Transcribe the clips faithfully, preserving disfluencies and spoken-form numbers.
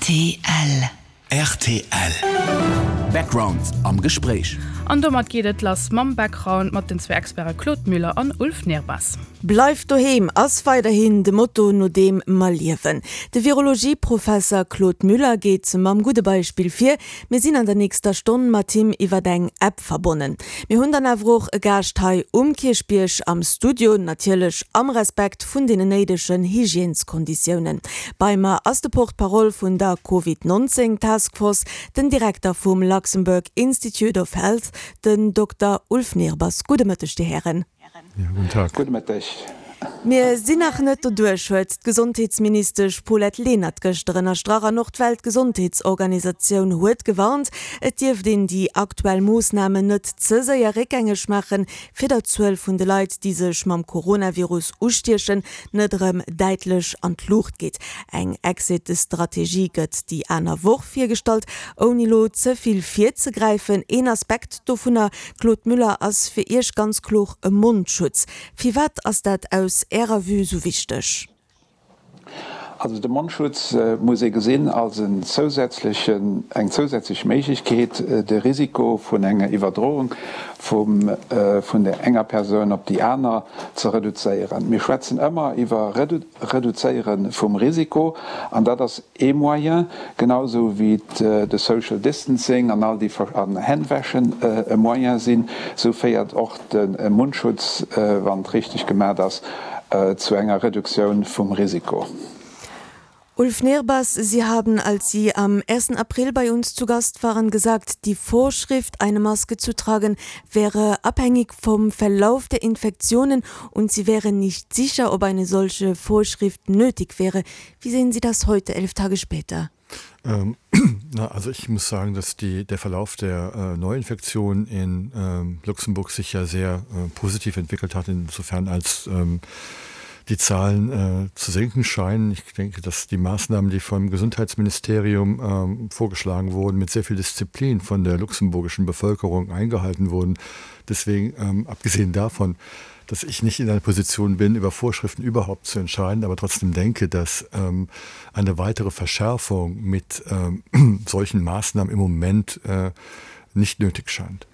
R T L. R T L. Background am Gespréich. An domat geet et lass mam Background mat den zwee Experte Claude Müller an Ulf Nehrbass. Bleift doheem ass weiderhin de Motto, no deem mer liewen. De Virologieprofesser Claude Müller geet mam gudde Beispill vir. Mir sinn an der nächster Stonn mat him iwwer eng App verbonnen. Mir hunn dann awer och e Gaascht hei um Kierchbierg am Studio, natierlech am Respekt vun den néidegen Hygièneskonditiounen. Bei mer ass de Porte-parole vun der Covid neunzéng Taskforce, den Direkter vum Luxembourg Institute of Health, den Dokter Ulf Nehrbass. Gudde Mëtteg, Dir Hären. Ja, guten Tag. Gudde Mëtteg. Mir sinn nach net doduerch, huet d'Gesondheetsministesch Paulette Lenert gëschter ënnerstrach, an och d'Weltgesondheetsorganisatioun huet gewarnt, et dierft een déi aktuell Moossnamen net ze séier réckgängeg maachen, fir datt d'Zuel vun de Leit, déi sech mam Coronavirus ustiechen, net erëm däitlech an d'Luucht geet. Eng Exit-Strategie gëtt déi aner Woch virgestallt. Ouni lo ze vill virzegräifen, een Aspekt dovunner, Claude Müller, ass fir Iech ganz kloer e Mondschutz. Firwat ass dat aus Ärer Vue sou wichteg? Also de Mondschutz äh, muss ee gesinn als en zousätzlechen, eng zousätzlech Méiglechkeet, äh, de Risiko vun enger Iwwerdroung vum, äh, vun der enger Persoun op déi aner ze reduzéieren. Mir schwätzen ëmmer iwwer Redu Reduzéiere vum Risiko an dat ass ee Moyen, genausou wéi de Social Distancing an all déi an Hännwäschen äh, e Moyen sinn, sou féiert och de Mundschutz, äh, wann et richteg gemaach ass, äh, zu enger Reduktioun vum Risiko. Ulf Nehrbass, Sie haben, als Sie am ersten April bei uns zu Gast waren, gesagt, die Vorschrift, eine Maske zu tragen, wäre abhängig vom Verlauf der Infektionen und Sie wären nicht sicher, ob eine solche Vorschrift nötig wäre. Wie sehen Sie das heute, elf Tage später? Ähm, na, also ich muss sagen, dass die, der Verlauf der äh, Neuinfektion in ähm, Luxemburg sich ja sehr äh, positiv entwickelt hat, insofern als ähm, die Zahlen äh, zu sinken scheinen. Ich denke, dass die Maßnahmen, die vom Gesundheitsministerium ähm, vorgeschlagen wurden, mit sehr viel Disziplin von der luxemburgischen Bevölkerung eingehalten wurden. Deswegen, ähm, abgesehen davon, dass ich nicht in einer Position bin, über Vorschriften überhaupt zu entscheiden, aber trotzdem denke, dass ähm, eine weitere Verschärfung mit ähm, solchen Maßnahmen im Moment äh, nicht nötig scheint.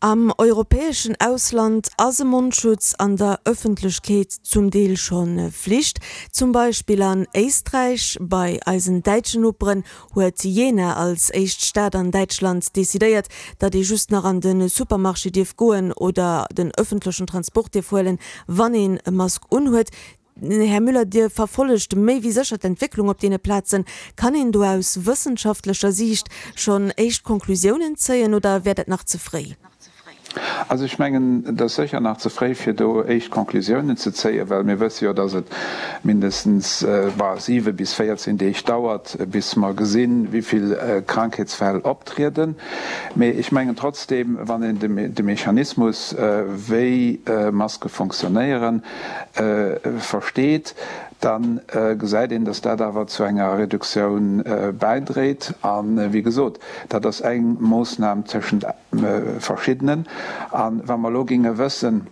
Am europäeschen Ausland ass e Mondschutz an der Ëffentlechkeet zum Deel schonn Flicht. Zum Beispill an Éisträich. Bei eisen däitschen Noperen huet Jena als éischt Stad an Däitschland decidéiert, datt ee just nach an de Supermarché dierf goen oder den ëffentlechen Transport dierf huelen, wann een e Mask unhuet. Här Müller, Dir verfollegt méi wéi sécher d'Entwécklung op deene Plazen. Kann een do aus wëssenschaftlecher Siicht schonn éischt Konklusiounen zéien oder wär dat nach ze fréi? Also ech mengen, dat ass sécher nach ze fréi, fir do éischt Konklusiounen ze zéien, well mir wësse jo, datt et mindestens äh, siwe bis véierzéng Deeg dauert, bis mer gesinn, wéi vill äh, Krankheetsfäll optrieden. Mee ech mengen trotzdem, wann een de, de Mechanismus, äh, wéi äh, Maske funktionéieren, äh, versteet, dann äh, gesäit een, dass dat awer zu enger Reduktioun äh, bäidréit. An äh, wéi gesot, dat ass eng Moossnam tëschent äh, verschiddenen. An wa mer lo géinge wëssen,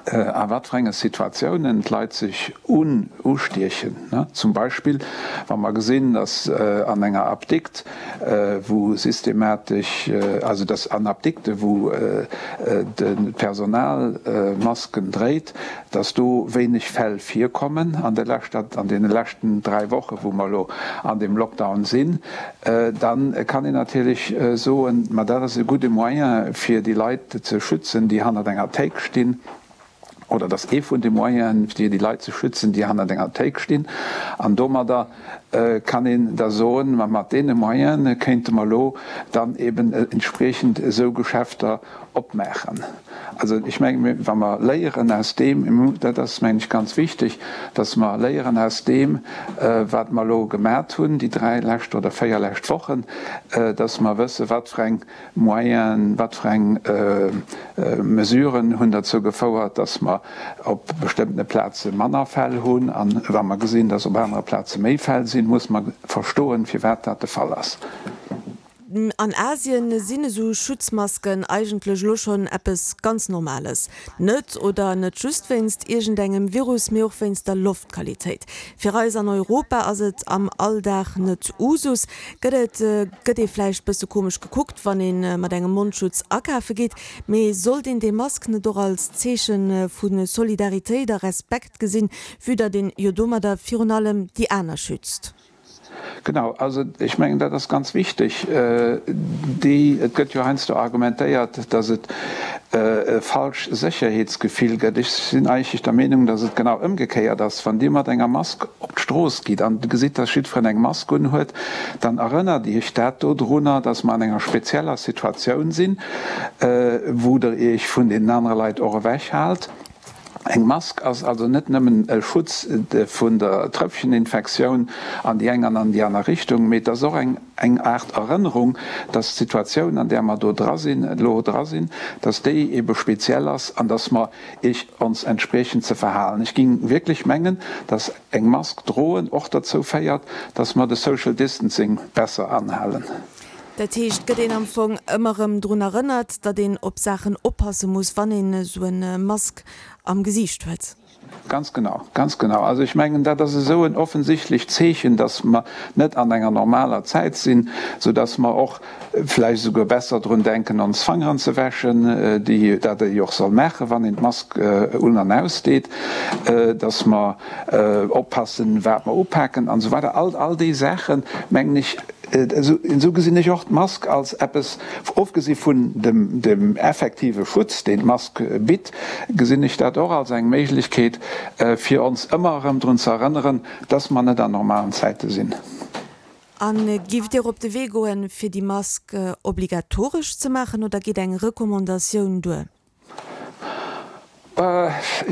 äh, a wat fir enge Situatiounen d'Leit sech un ustiechen, ne? Zum Beispill, wa mer gesinn, dass äh, an enger Apdikt, äh, wou systematesch, äh, also dass an Apdikte, wou äh, äh, de Personal äh, Masken dréit, dass do wéineg Fäll virkommen an der leschter, an deene leschten dräi Woche, wou mer lo an dem Lockdown sinn, äh, dann kann een natierlech äh, soen, ma dat ass e gudde Moyen fir déi Leit ze schützen, déi hannert enger Théik stinn, oder dat ass ee vun de Moyenen, fir déi Leit ze schützen, déi hannert enger Théik stinn. An domadder äh, kann een da soen, ma mat deene Moyene kéinte mer lo dann eben äh, entspriechend esou Geschäfter opmaachen. Also ech mengen, wa mer léieren aus deem, dat ass mengen ech ganz wichteg, dass mer léieren aus deem, äh, wat mer lo gemaach hunn, déi dräi lescht oder véier lescht Wochen, äh, dass mer wësse wat fir eng Moyenen, wat fir eng äh, äh, Mesuren hunn dozou gefouert, dass mer op bestëmmte Plaze manner Fäll hunn, an wa mer gesinn, dass op anere Plaze méi Fäll sinn, muss mer verstoen, firwat dat de Fall ass. An Asien sinn esou Schutzmasken eigentlech elo schonn eppes ganz Normales. Net oder net just wéinst iergendengem Virus, mee och wéinst der Loftqualitéit. Fir eis an Europa ass et am Alldag net Usus. Gëtt et, gëtt ee vläicht bësse komesch gekuckt, wann ee mat engem Mondschutz akafe geet. Mee sollt een déi Mask net och als Zeeche vu Solidaritéit a Respekt gesinn, vue datt een jo domadder virun allem déi aner schützt? Genau, also ech mengen, dat ass ganz wichteg. Déi, et gëtt jo heiansdo argumentéiert, datt et e falsch Sécherheetsgefill gëtt. Ech sinn eigentlech der Meenung, datt et genau ëmgekéiert ass. Wann Dir mat enger Mask op d'Strooss gitt an gesitt, datt jiddwereen eng Mask unhuet, dann erënnert Iech dat dodrunner, datt mer an enger spezieller Situatioun sinn, wou Der Iech vun deenen anere Leit och ewechhaalt. Eng Mask ass also net nëmmen e Schutz vun der Tröpfcheninfektioun an déi eng an an déi aner Richtung, mee et ass och eng eng Aart Erënnerung, dass d'Situatioun, an där mer do dra sinn, elo dra sinn, dass déi ebe speziell ass an dass mer ech ons entspriechend ze verhalen. Ech géing wierklech mengen, dass eng Mask droen och derzou féiert, dass mer de Social Distancing besser anhalen. Dat heescht, gëtt een am Fong ëmmer erëm drun erënnert, datt een op Saachen oppasse muss, wann een esou en Mask am Gesiicht huet? Ganz genau, ganz genau. Also ech mengen, dat ass esou en offensichtlecht Zeechen, datt mer net an enger normaler Zäit sinn, soudatt mer och vläicht esouguer besser drun denken, ons Fangeren ze wäschen, déi dat ee jo och soll maachen, wann een d'Mask un an ausdeet, datt mer oppassen, wat mer upaken an esou weider. All, all déi Saachen, mengen ech, Esou gesinn ech och d'Mask als eppes, ofgesi vun dem effektive Schutz, deen d'Mask bitt, gesinn ech dat och als eng Méiglechkeet, fir ons ëmmer erëm drun ze erënneren, dass mer net an normalen Zäite sinn. A giff Dir op de Wee goen, fir déi Mask obligatoresch ze maachen, oder geet eng Recommandatioun duer?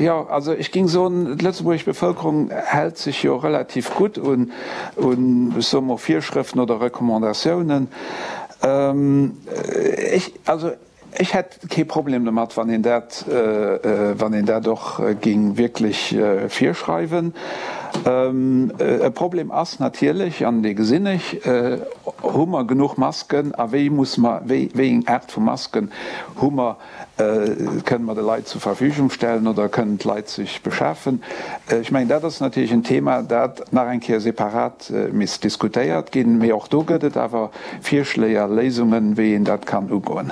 Jo, also ech géing soen, d'lëtzebuergesch Bevëlkerung hält sech jo relativ gutt un, ech soe mol, Virschrëften oder Recommandatiounen. Ech, also ech hätt kee Problem domat, wann een dat, wann een dat och géing wierklech virschreiwen. E Problem ass natierlech, an dee gesinn ech, Hu mer genuch Masken a wéi muss mer, wéi eng Aart vu Masken hu mer, kënnen mer de Leit zur Verfügung stellen oder kënnen d'Leit sech beschafen? Ech mengen, dat ass natierlech en Thema, dat nach eng Kéier separat misst diskutéiert ginn. Mee och do gëtt et awer Virschléi a Léisungen, wéi een dat kann ugoen.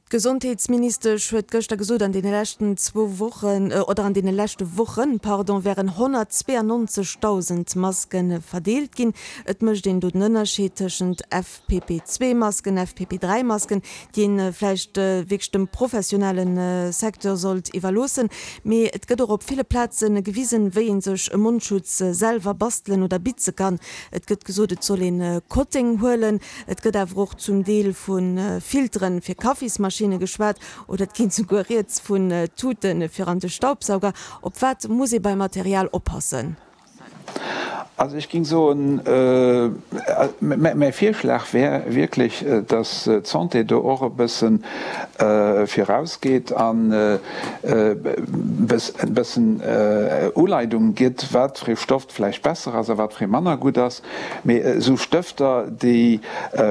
D'Gesondheetsministesch huet gëschter gesot, an deene leschten zwou Wochen, oder an deene leschte Wochen, pardon, wären honnertzweeanonzegdausend Maske verdeelt ginn. Et mécht een do den Ënnerscheed tëschent F P P zwee Masken, F P P dräi Masken, déi een vläicht wierklech dem professionelle Secteur sollt iwwerloossen. Mee et gëtt och op ville Plaze gewisen, wéi ee sech e Mondschutz selwer bastelen oder bitze kann. Et gëtt gesot, et soll een Kotteng huelen. Et gëtt awer och zum Deel vu Filtere fir Kaffismaschinne geschwat oder et geet souguer rieds vun Tute fir an de Staubsauger. Op wat muss ee beim Material oppassen? Also ech géing soen, mäi Virschlag wär wierklech, datt d'Santé do och e bësse virausgeet an e bëssen Uleidung gëtt, wat fir ee Stoff vläicht besser ass a wat fir ee manner gutt ass. Mee esou Stëfter, déi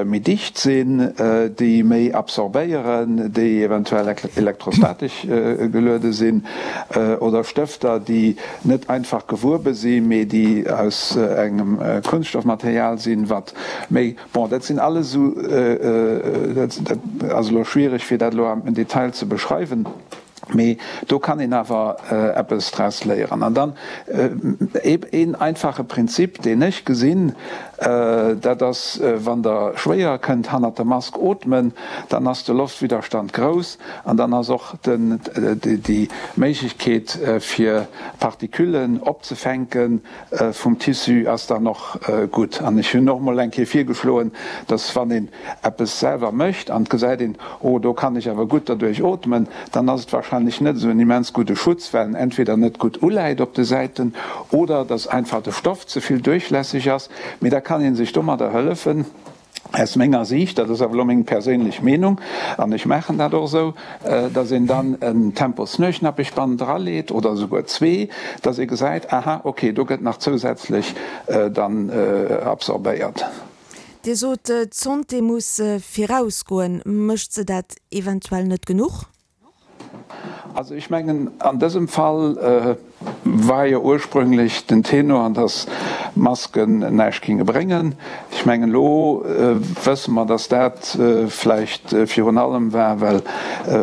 méi dicht sinn, déi méi absorbéieren, déi eventuell elektrostatesch geluede sinn, oder Stëfter, déi net einfach gewuebe sinn, mee déi aus engem Kunststoffmaterial sinn, wat méi, bon, dat sinn alles esou, dat ass elo schwiereg, fir dat elo am Detail ze beschreiwen. Mee do kann een awer eppes draus léieren. An dann een einfache Prinzip, deen ech gesinn, dat ass, wann Der schwéier kënnt hannert der Mask ootmen, dann ass de Loftwidderstand grouss an dann ass och déi Méiglechkeet, fir Partiküllen opzefänken vum Tissu, ass dann och gutt. An ech hunn och emol eng Kéier virgeschloen, dass wann een eppes selwer mécht an et gesäit een, oh do kann ech awer gutt derduerch ootmen, dann ass et wahrscheinlech net esou en immens gudde Schutz, well en entweder net gutt uläit op de Säiten oder dass einfach de Stoff ze vill duerchlässeg ass. Mee da kann ee sech domadder hëllefen, aus menger Siicht, dat ass awer elo meng perséinlech Meenung an ech maachen dat och esou, dass een dann en Temposnuechnappechband draleet oder esouguer zwee, dass ee gesäit, aha, okay, do gëtt nach zousätzlech dann absorbéiert. Dir sot, d'Santé muss virausgoen. Mécht se dat eventuell net genuch? Also ech mengen, an dësem Fall war jo ursprünglech den Tenor, dass Masken näischt géinge bréngen. Ech mengen, elo wësse mer, dass dat vläicht virun allem war, well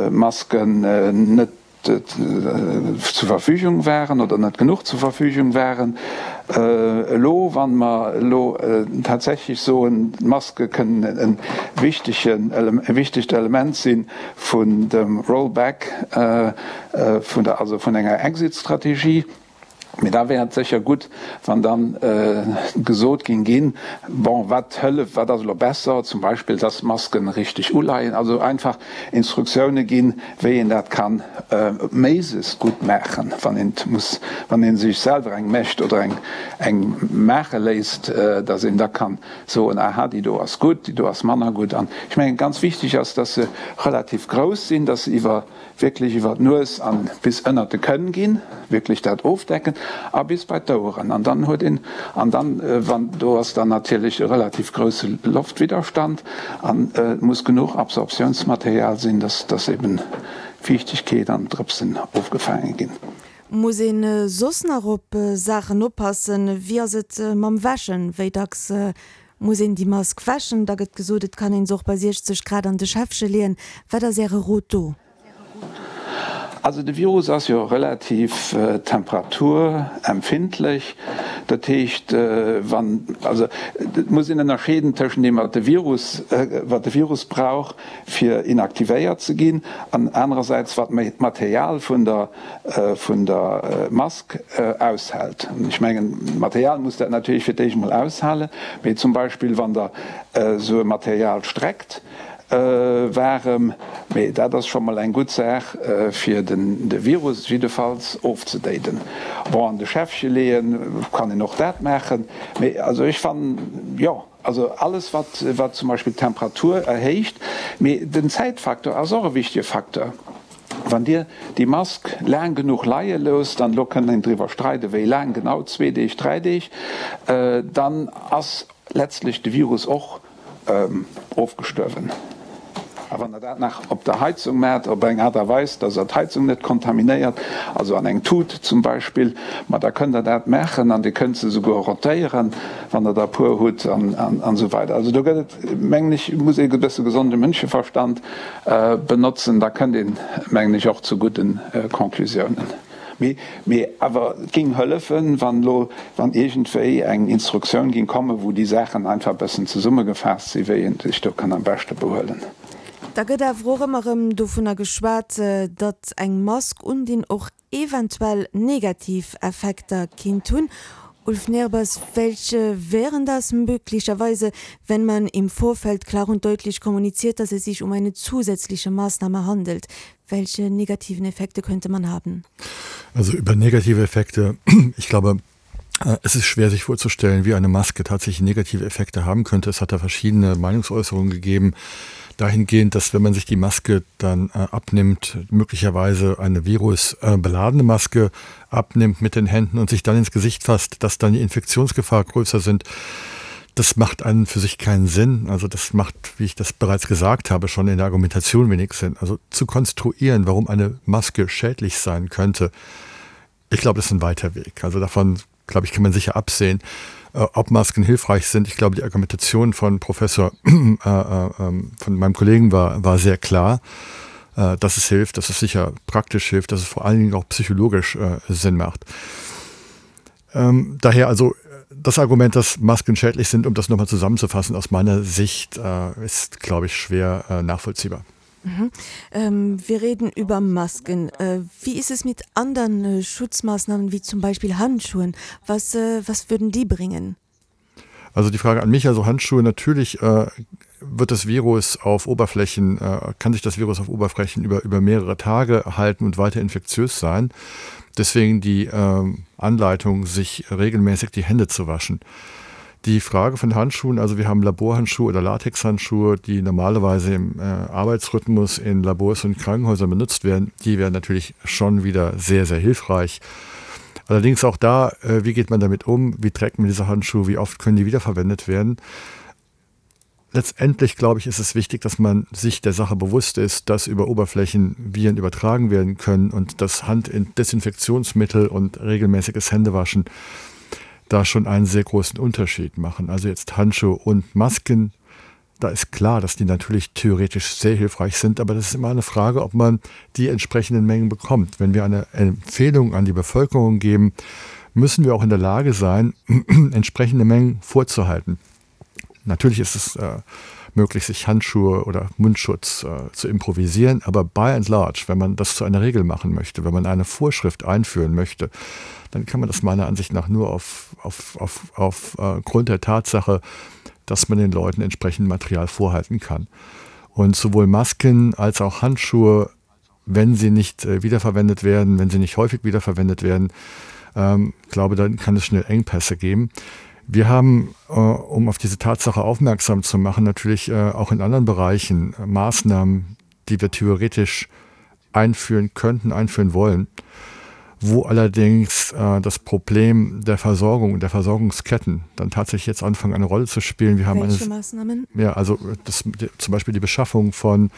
Masken net zur Verfügung waren oder net genuch zur Verfügung waren. Elo, wa mer elo tatsächlech soen, d'Maske kënnen e wichtegen, e wichtegt Element si vun dem Rollback vun der, also vun enger Exit-Strategie, Mee da wär et sécher gutt, wann da gesot géing ginn, Bon, wat hëlleft, wat ass elo besser, zum Beispill, dass d'Masken richteg uleien, also einfach Instruktioune ginn, wéi een dat ka méiglechst gutt maachen, wann een et muss, wann ee sech selwer eng mécht oder eng eng maache léisst, dass een da ka soen, Aha, déi do ass gutt, déi do ass manner gutt. An ech mengen, ganz wichteg ass, dass se relativ grouss sinn, dass se iwwer wierklech iwwer d'Nues an bis ënnert de Kënn ginn, wierklech dat ofdecken a bis bei d'Oueren. An dann huet een, an dann, wann, do ass dann natierlech e relativ grousse Loftwidderstand an et muss genuch Absorptiounsmaterial sinn, dass, dass eben Fiichtegkeet an Drëpsen ofgefaange ginn. Muss een soss nach op Saachen oppassen? Wéi ass et mam Wäschen? Wéi dacks muss een déi Mask wäschen? Da gëtt gesot, et kann een se och bei siechzeg Grad an de Schäffche leeën. Wat ass Äre Rot do? Also de Virus ass jo relativ temperaturempfindlech. Dat heescht, wann, also et muss een ënnerscheeden tëschent deem, wat de Virus, wat de Virus brauch, fir inaktivéiert ze ginn, an anerersäits wat d'Material vun der, vun der Mask aushält. Ech mengen, d'Material muss dat natierlech fir d'éischt emol aushalen, mee zum Beispill wann Der esou e Material streckt, waarem, mee dat ass scho mol eng gutt Saach fir de Virus jiddefalls ofzedéiden. Bon, an de Schäffche leeën kann een och dat maachen, mee also ech fannen, jo, also alles wat wat zum Beispill d'Temperatur erhéicht, mee den Zäitfaktor ass och e wichtege Facteur. Wann Dir déi Mask laang genuch leie loosst, an elo kënnt een driwwer streiden, wéi laang genau, zwee Deeg, dräi Deeg, dann ass letztlech de Virus och ofgestuerwen. A wann Der dat nach op der Heizung maacht, op eng Aart a Weis, dass Der d'Heizung net kontaminéiert, also an eng Tut zum Beispill, ma da kënnt Der dat maachen an Dir kënnt se souguer rotéieren, wann Der der e puer hutt an esou weider. Also do gëtt et, mengen ech, muss ee e bësse gesonde Mënscheverstand benotzen, da kënnt een, mengen ech, och zu gudde Conclusiounen. Mee, mee awer et géing hëllefen, wann elo, wann iergendwéi eng Instruktioun géing kommen, wou déi Saachen einfach e bëssen zesummegefaasst sinn, wéi ee sech do kann am beschte behuelen. Da gëtt awer och ëmmer erëm dovunner geschwat, datt eng Mask undinn och eventuell negativ Effekter kinnt hunn. Ulf Nehrbass, welche wären das möglicherweise, wenn man im Vorfeld klar und deutlich kommuniziert, dass es sich um eine zusätzliche Maßnahme handelt? Welche negativen Effekte könnte man haben? Also über negative Effekte, ich glaube, äh, es ist schwer sich vorzustellen, wie eine Maske tatsächlich negative Effekte haben könnte. Es hat da verschiedene Meinungsäußerungen gegeben dahingehend, dass wenn man sich die Maske dann äh, abnimmt, möglicherweise eine virusbeladene äh, Maske abnimmt mit den Händen und sich dann ins Gesicht fasst, dass dann die Infektionsgefahr größer sind. Das macht an für sich keinen Sinn. Also das macht, wie ich das bereits gesagt habe, schon in der Argumentation wenig Sinn. Also zu konstruieren, warum eine Maske schädlich sein könnte, ich glaube, das ist ein weiter Weg. Also davon, glaube ich, kann man sicher absehen, äh, ob Masken hilfreich sind. Ich glaube, die Argumentation von Professor äh, äh, ähm, von meinem Kollegen war, war sehr klar, äh, dass es hilft, dass es sicher praktisch hilft, dass es vor allen Dingen auch psychologisch äh, Sinn macht. Ähm, daher also das Argument, dass Masken schädlich sind, um das nochmal zusammenzufassen, aus meiner Sicht äh, ist, glaube ich, schwer äh, nachvollziehbar. Mhm. Ähm, wir reden über Masken. Äh, wie ist es mit anderen äh, Schutzmaßnahmen wie zum Beispiel Handschuhen? Was, äh, was würden die bringen? Also die Frage an mich, also Handschuhe, natürlich äh, wird das Virus auf Oberflächen, äh, kann sich das Virus auf Oberflächen über, über mehrere Tage halten und weiter infektiös sein. Deswegen die äh, Anleitung, sich regelmäßig die Hände zu waschen. Die Frage von Handschuhen, also wir haben Laborhandschuhe oder Latexhandschuhe, die normalerweise im äh, Arbeitsrhythmus in Labors und Krankenhäusern benutzt werden, die wären natürlich schon wieder sehr, sehr hilfreich. Allerdings auch da, äh, wie geht man damit um? Wie trägt man diese Handschuhe? Wie oft können die wiederverwendet werden? Letztendlich, glaube ich, ist es wichtig, dass man sich der Sache bewusst ist, dass über Oberflächen Viren übertragen werden können und dass Handdesinfektionsmittel und regelmäßiges Händewaschen da schon einen sehr großen Unterschied machen. Also jetzt Handschuhe und Masken, da ist klar, dass die natürlich theoretisch sehr hilfreich sind, aber das ist immer eine Frage, ob man die entsprechenden Mengen bekommt. Wenn wir eine Empfehlung an die Bevölkerung geben, müssen wir auch in der Lage sein, entsprechende Mengen vorzuhalten. Natürlich ist es äh, möglich, sich Handschuhe oder Mundschutz äh, zu improvisieren, aber by and large, wenn man das zu einer Regel machen möchte, wenn man eine Vorschrift einführen möchte, dann kann man das meiner Ansicht nach nur auf, auf, auf, auf äh, Grund der Tatsache, dass man den Leuten entsprechend Material vorhalten kann. Und sowohl Masken als auch Handschuhe, wenn sie nicht äh, wiederverwendet werden, wenn sie nicht häufig wiederverwendet werden, ähm, glaube, dann kann es schnell Engpässe geben. Wir haben, äh, um auf diese Tatsache aufmerksam zu machen, natürlich äh, auch in anderen Bereichen äh, Maßnahmen, die wir theoretisch einführen könnten, einführen wollen, wo allerdings äh, das Problem der Versorgung und der Versorgungsketten dann tatsächlich jetzt anfangen, eine Rolle zu spielen. Wir haben Welche eine, Maßnahmen? Ja, also das, die, zum Beispiel die Beschaffung von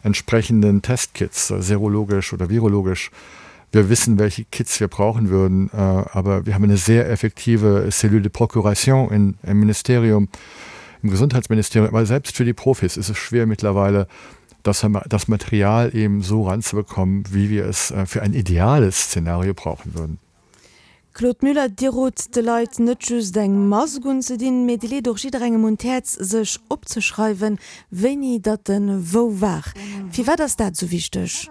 entsprechenden Testkits, äh, serologisch oder virologisch. Wir wissen, welche Kits wir brauchen würden, äh, aber wir haben eine sehr effektive Cellule de Procuration in, im Ministerium, im Gesundheitsministerium. Aber selbst für die Profis ist es schwer mittlerweile, das, das Material eben so ranzubekommen, wie wir es äh, für ein ideales Szenario brauchen würden. Claude Müller, Dir rot de Leit net just eng Mask unzedinn, mee Dir leet och jidderengem un d'Häerz, sech opzeschreiwen, wéini datt en wou war. Firwat ass dat sou wichteg?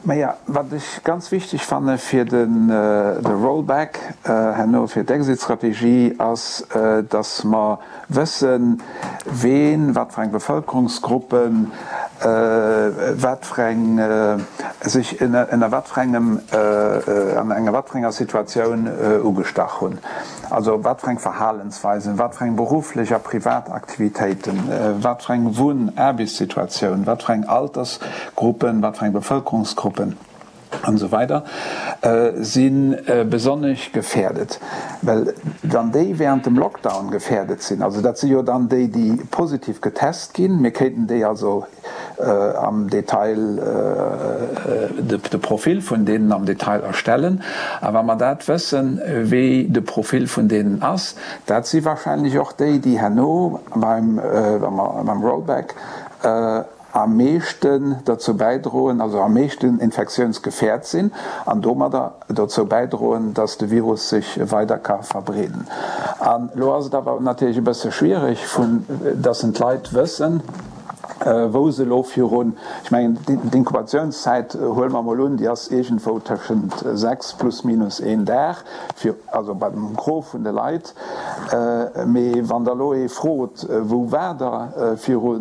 Maja, wat ech ganz wichteg fanne fir den de Rollback herno fir d'Exit-Strategie ass, datt mer wëssen, ween, wat fir eng Bevëlkerungsgruppen, wat fir eng sech ënner wat fir engem an enger wat fir enger Situatioun ugestach hunn. Also wat fir eng Verhalensweisen, wat fir eng berufflech a privat Aktivitéiten, wat fir eng Wunn-, Aarbechtssituatioun, wat fir eng Altersgruppen, wat fir eng Bevëlkerungsgruppen an esou weider si besonnesch gefährdet. Well wann déi während dem Lockdown gefährdet sinn, also dat si jo dann déi, déi positiv getest ginn, mir kéinten déi also am Detail de Profil vun deenen am Detail erstellen, a wa mer dat wëssen, wéi de Profil vun deenen ass, dat si wahrscheinlech och déi, déi herno beim, wa mer beim Rollback am meeschten dozou bäidroen, also am meeschten infektiounsgefährt sinn an domadder dozou bäidroen, dass de Virus sech weider ka verbreeden. An elo ass et awer natierlech e bësse schwierig, vu dass en d'Leit wëssen, wou se elo virun, ech mengen d'Inkubationszäit, huele mer emol un, déi ass iergendwou tëschent sechs plus minus een Dag, fir, also bei dem Gros vun de Leit. Mee wann Der elo ee frot, Wou waart Der viru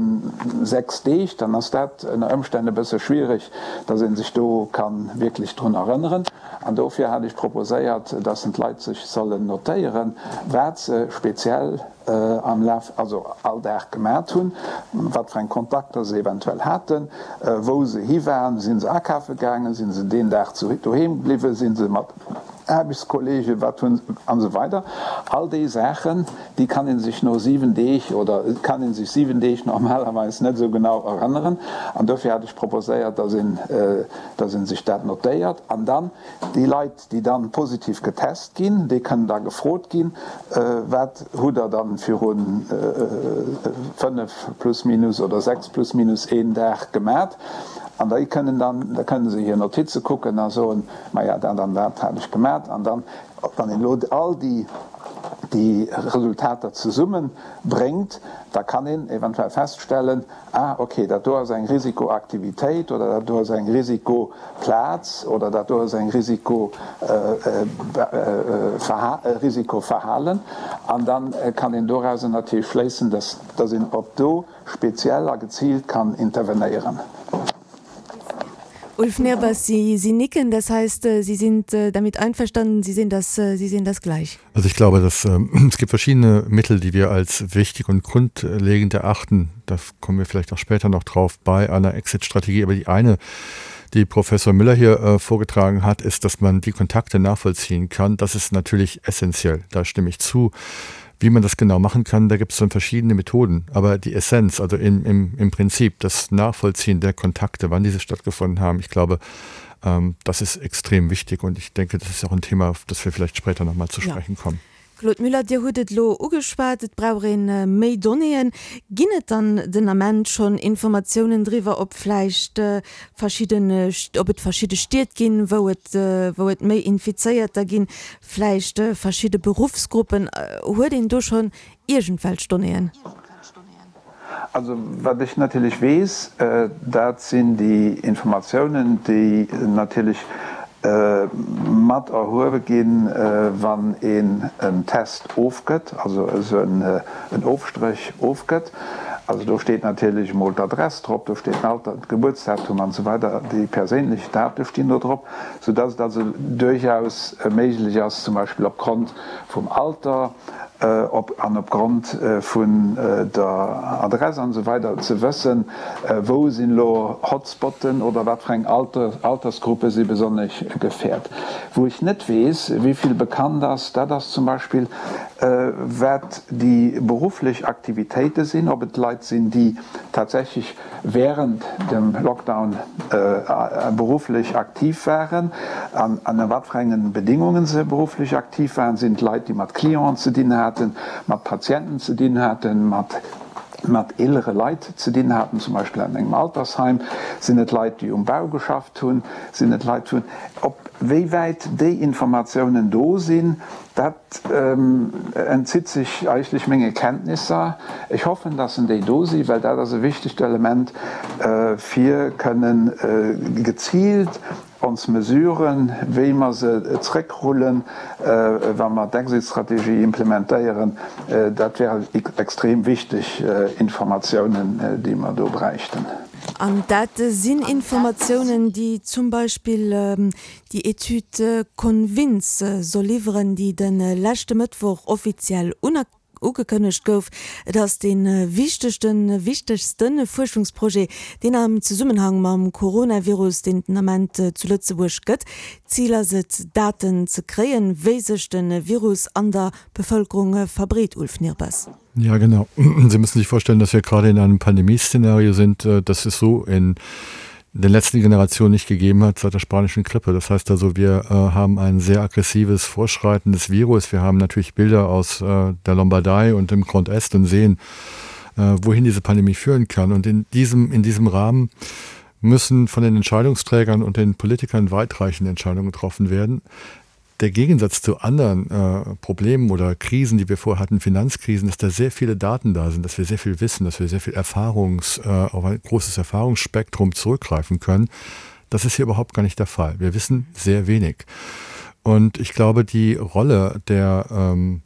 sechs Deeg?, dann ass dat ënner Ëmstänn e bësse schwierig, dass ee sech do ka wierklech drun erënneren. An dofir hat ech proposéiert, dass d'Leit sech sollen notéieren, wat se speziell am Laf, also all Dag gemat hunn, wat fir eng Kontakter se eventuell haten, wou se hi waren, si se akafe gaangen, si se deen Dag doheem bliwwen, si se mat Aarbechtskollegen, wat hunn, an esou weider. All déi Saachen, déi kann ee sech no siwen Deeg oder kann ee sech siwen Deeg normalerweis net esou genau erënneren. An dofir hat ech proposéiert, dass een, dass ee sech dat notéiert an dann déi Leit, déi dann positiv getest ginn, déi kënnen da gefrot ginn, Wat hutt Der dann viru fënnef plus minus oder sechs plus minus een Dag gemat? An déi kënnen dann, da kënne se hir Notize kucken a soen, Maja, dat an dat hat ech gemat. An dann, wann een elo all déi, déi Resultater zesumme bréngt, da kann een eventuell feststellen, Ah, okay, dat do ass eng Risikoaktivitéit oder dat do ass eng Risikoplaz oder dat do ass eng Risiko, Risikoverhalen. An da kann een dorauser natierlech schléissen, dass, dass een op do speziell a geziilt kann intervenéieren. Ulf Nehrbass, Sie, Sie nicken, das heißt, äh, Sie sind äh, damit einverstanden, Sie sehen das, äh, Sie sehen das gleich. Also ich glaube, dass, ähm, es gibt verschiedene Mittel, die wir als wichtig und grundlegend erachten. Da kommen wir vielleicht auch später noch drauf bei einer Exit-Strategie. Aber die eine, die Professor Müller hier äh, vorgetragen hat, ist, dass man die Kontakte nachvollziehen kann. Das ist natürlich essentiell. Da stimme ich zu. Wie man das genau machen kann, da gibt es dann verschiedene Methoden. Aber die Essenz, also im, im, im Prinzip das Nachvollziehen der Kontakte, wann diese stattgefunden haben, ich glaube, ähm, das ist extrem wichtig und ich denke, das ist auch ein Thema, auf das wir vielleicht später noch mal zu ja. sprechen kommen. Claude Müller, Dir hutt et elo ugeschwat, et brauch een méi Donnéeën. Ginn et dann den Ament schonn Informatiounen driwwer, ob vläicht verschidden, ob et verschidde Stied ginn, wou et, wou et méi Infizéierter ginn, vläicht verschidde Beruffsgruppen? Huet een do schonn iergendwelch Donnéeën? Also wat ech natierlech weess, dat sinn déi Informatiounen, déi natierlech mat erhuewe ginn, wann een en Test ofgëtt, also esou en Ofstréch ofgëtt. Also do steet natierlech emol d'Adress drop, do steet den Alter, d'Gebuertsdatum an esou weider, déi perséinlech Date stinn do drop, soudass et also duerchaus méiglech ass, zum Beispill opgrond vum Alter, op an opgrond vun der Adress an esou weider ze wëssen, wou sinn elo Hotspotten oder wat fir eng Altersgruppe si besonnesch gefäert. Wou ech net weess, wéi vill bekannt ass, dat ass zum Beispill, wat déi berufflech Aktivitéite sinn, ob et Leit sinn, déi tatsächlech während dem Lockdown berufflech aktiv waren an ënner wat fir engen Bedingungen se berufflech aktiv waren. Sinn et Leit, déi mat Clienten ze dinn haten, mat Patienten ze dinn haten, mat mat eelere Leit ze dinn haten, zum Beispill an engem Altersheim? Sinn et Leit, déi um Bau geschafft hunn? Sinn et Leit vun. Op wéi wäit déi Informatiounen do sinn, dat entzitt sech eigentlech menge Kenntnisser. Ech hoffen, dass en déi do sinn, well dat ass e wichtegt Element, fir kënnen geziilt ons Mesuren, wéi mer se zréckrullen, wa mer d'Exit-Strategie implementéieren, dat wären extrem wichteg Informatiounen, déi mer do bräichten. An dat sinn Informatiounen, déi zum Beispill déi Etüd Convince soll liwweren, déi de leschte Mëttwoch offiziell ugekënnegt gouf. Et ass dee wichtegsten, wichtegste Fuerschungsprojet, deen am Zesummenhang mam Coronavirus, deen den Ament zu Lëtzebuerg gëtt. Zil ass et, Daten ze kréien, wéi sech de Virus an der Bevëlkerung verbreet. Ulf Nehrbass. Ja, genau. Sie müssen sich vorstellen, dass wir gerade in einem Pandemieszenario sind, äh, das es so in den letzten Generationen nicht gegeben hat seit der spanischen Grippe. Das heißt also, wir äh, haben ein sehr aggressives Vorschreiten des Virus. Wir haben natürlich Bilder aus äh, der Lombardei und dem Grand Est und sehen, äh, wohin diese Pandemie führen kann. Und in diesem, in diesem Rahmen müssen von den Entscheidungsträgern und den Politikern weitreichende Entscheidungen getroffen werden der Gegensatz zu anderen äh, Problemen oder Krisen, die wir vorher hatten, Finanzkrisen, dass da sehr viele Daten da sind, dass wir sehr viel wissen, dass wir sehr viel Erfahrungs, äh, auf ein großes Erfahrungsspektrum zurückgreifen können. Das ist hier überhaupt gar nicht der Fall. Wir wissen sehr wenig. Und ich glaube, die Rolle der ähm,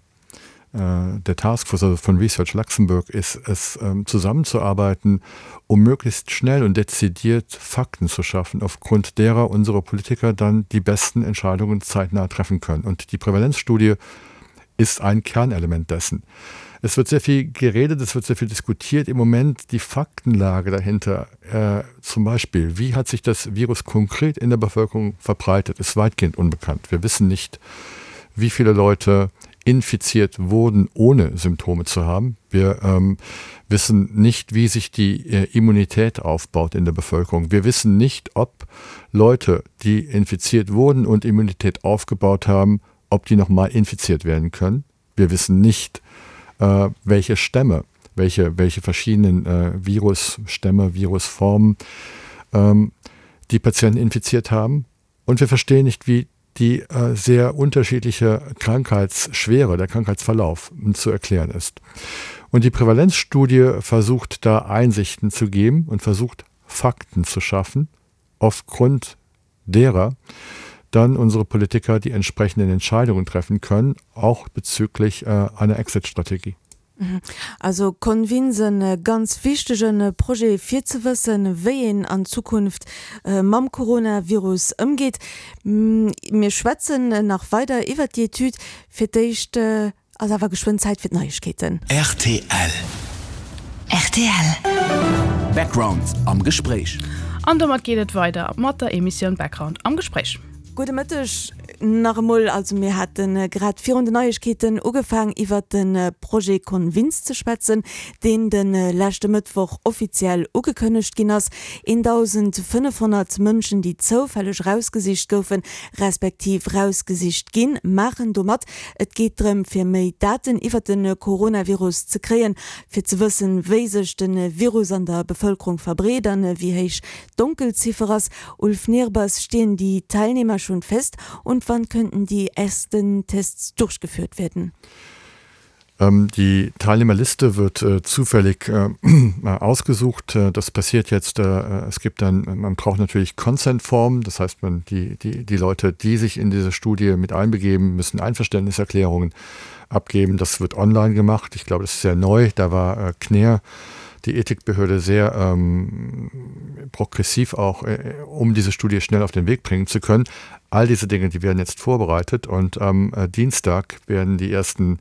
äh, der Taskforce also von Research Luxembourg ist es ähm, zusammenzuarbeiten, um möglichst schnell und dezidiert Fakten zu schaffen, aufgrund derer unsere Politiker dann die besten Entscheidungen zeitnah treffen können. Und die Prävalenzstudie ist ein Kernelement dessen. Es wird sehr viel geredet, es wird sehr viel diskutiert. Im Moment die Faktenlage dahinter, äh, zum Beispiel, wie hat sich das Virus konkret in der Bevölkerung verbreitet, ist weitgehend unbekannt. Wir wissen nicht, wie viele Leute infiziert wurden, ohne Symptome zu haben. Wir ähm, wissen nicht, wie sich die äh, Immunität aufbaut in der Bevölkerung. Wir wissen nicht, ob Leute, die infiziert wurden und Immunität aufgebaut haben, ob die nochmal infiziert werden können. Wir wissen nicht, äh, welche Stämme, welche, welche verschiedenen äh, Virusstämme, Virusformen ähm, die Patienten infiziert haben. Und wir verstehen nicht, wie die äh, sehr unterschiedliche Krankheitsschwere, der Krankheitsverlauf zu erklären ist. Und die Prävalenzstudie versucht da Einsichten zu geben und versucht Fakten zu schaffen, aufgrund derer dann unsere Politiker die entsprechenden Entscheidungen treffen können, auch bezüglich äh, einer Exit-Strategie. Mhm. Also Convince e ganz wichtege Projet fir ze wëssen, wéi een an Zukunft äh, mam Coronavirus ëmgeet. Mir schwätzen nach weider iwwert déi Etüd. Fir d'éischt äh, ass awer geschwënn Zäit fir d'Neiegkeeten. Rtl. Rtl. Background am Gespréich. An domat geet et weider mat der Emissioun Background am Gespréich. Gudde Mëtteg. Nach emol, also mir hate grad virun den Neiegkeeten ugefaang iwwert de Projet Convince ze schwätzen, deen de leschte Mëttwoch offiziell ugekënnegt ginn ass. eentausendfënnefhonnert Mënschen, déi zoufälleg rausgesicht goufen, respektiv rausgesicht ginn, maachen do mat. Et geet drëm, fir méi Daten iwwert de Coronavirus ze kréien, fir ze wëssen, wéi sech de Virus an der Bevëlkerung verbreet an wéi héich d'Donkelziffer ass. Ulf Nehrbass, stehen die Teilnehmer schon fest und wann könnten die ersten Tests durchgeführt werden? Ähm, die Teilnehmerliste wird äh, zufällig äh, ausgesucht. Äh, das passiert jetzt, äh, es gibt dann, man braucht natürlich Consent-Formen, das heißt, man, die, die, die Leute, die sich in diese Studie mit einbegeben, müssen Einverständniserklärungen abgeben. Das wird online gemacht. Ich glaube, das ist sehr neu. Da war äh, Kner, die Ethikbehörde, sehr ähm, progressiv auch, äh, um diese Studie schnell auf den Weg bringen zu können. All diese Dinge, die werden jetzt vorbereitet und am äh, Dienstag werden die ersten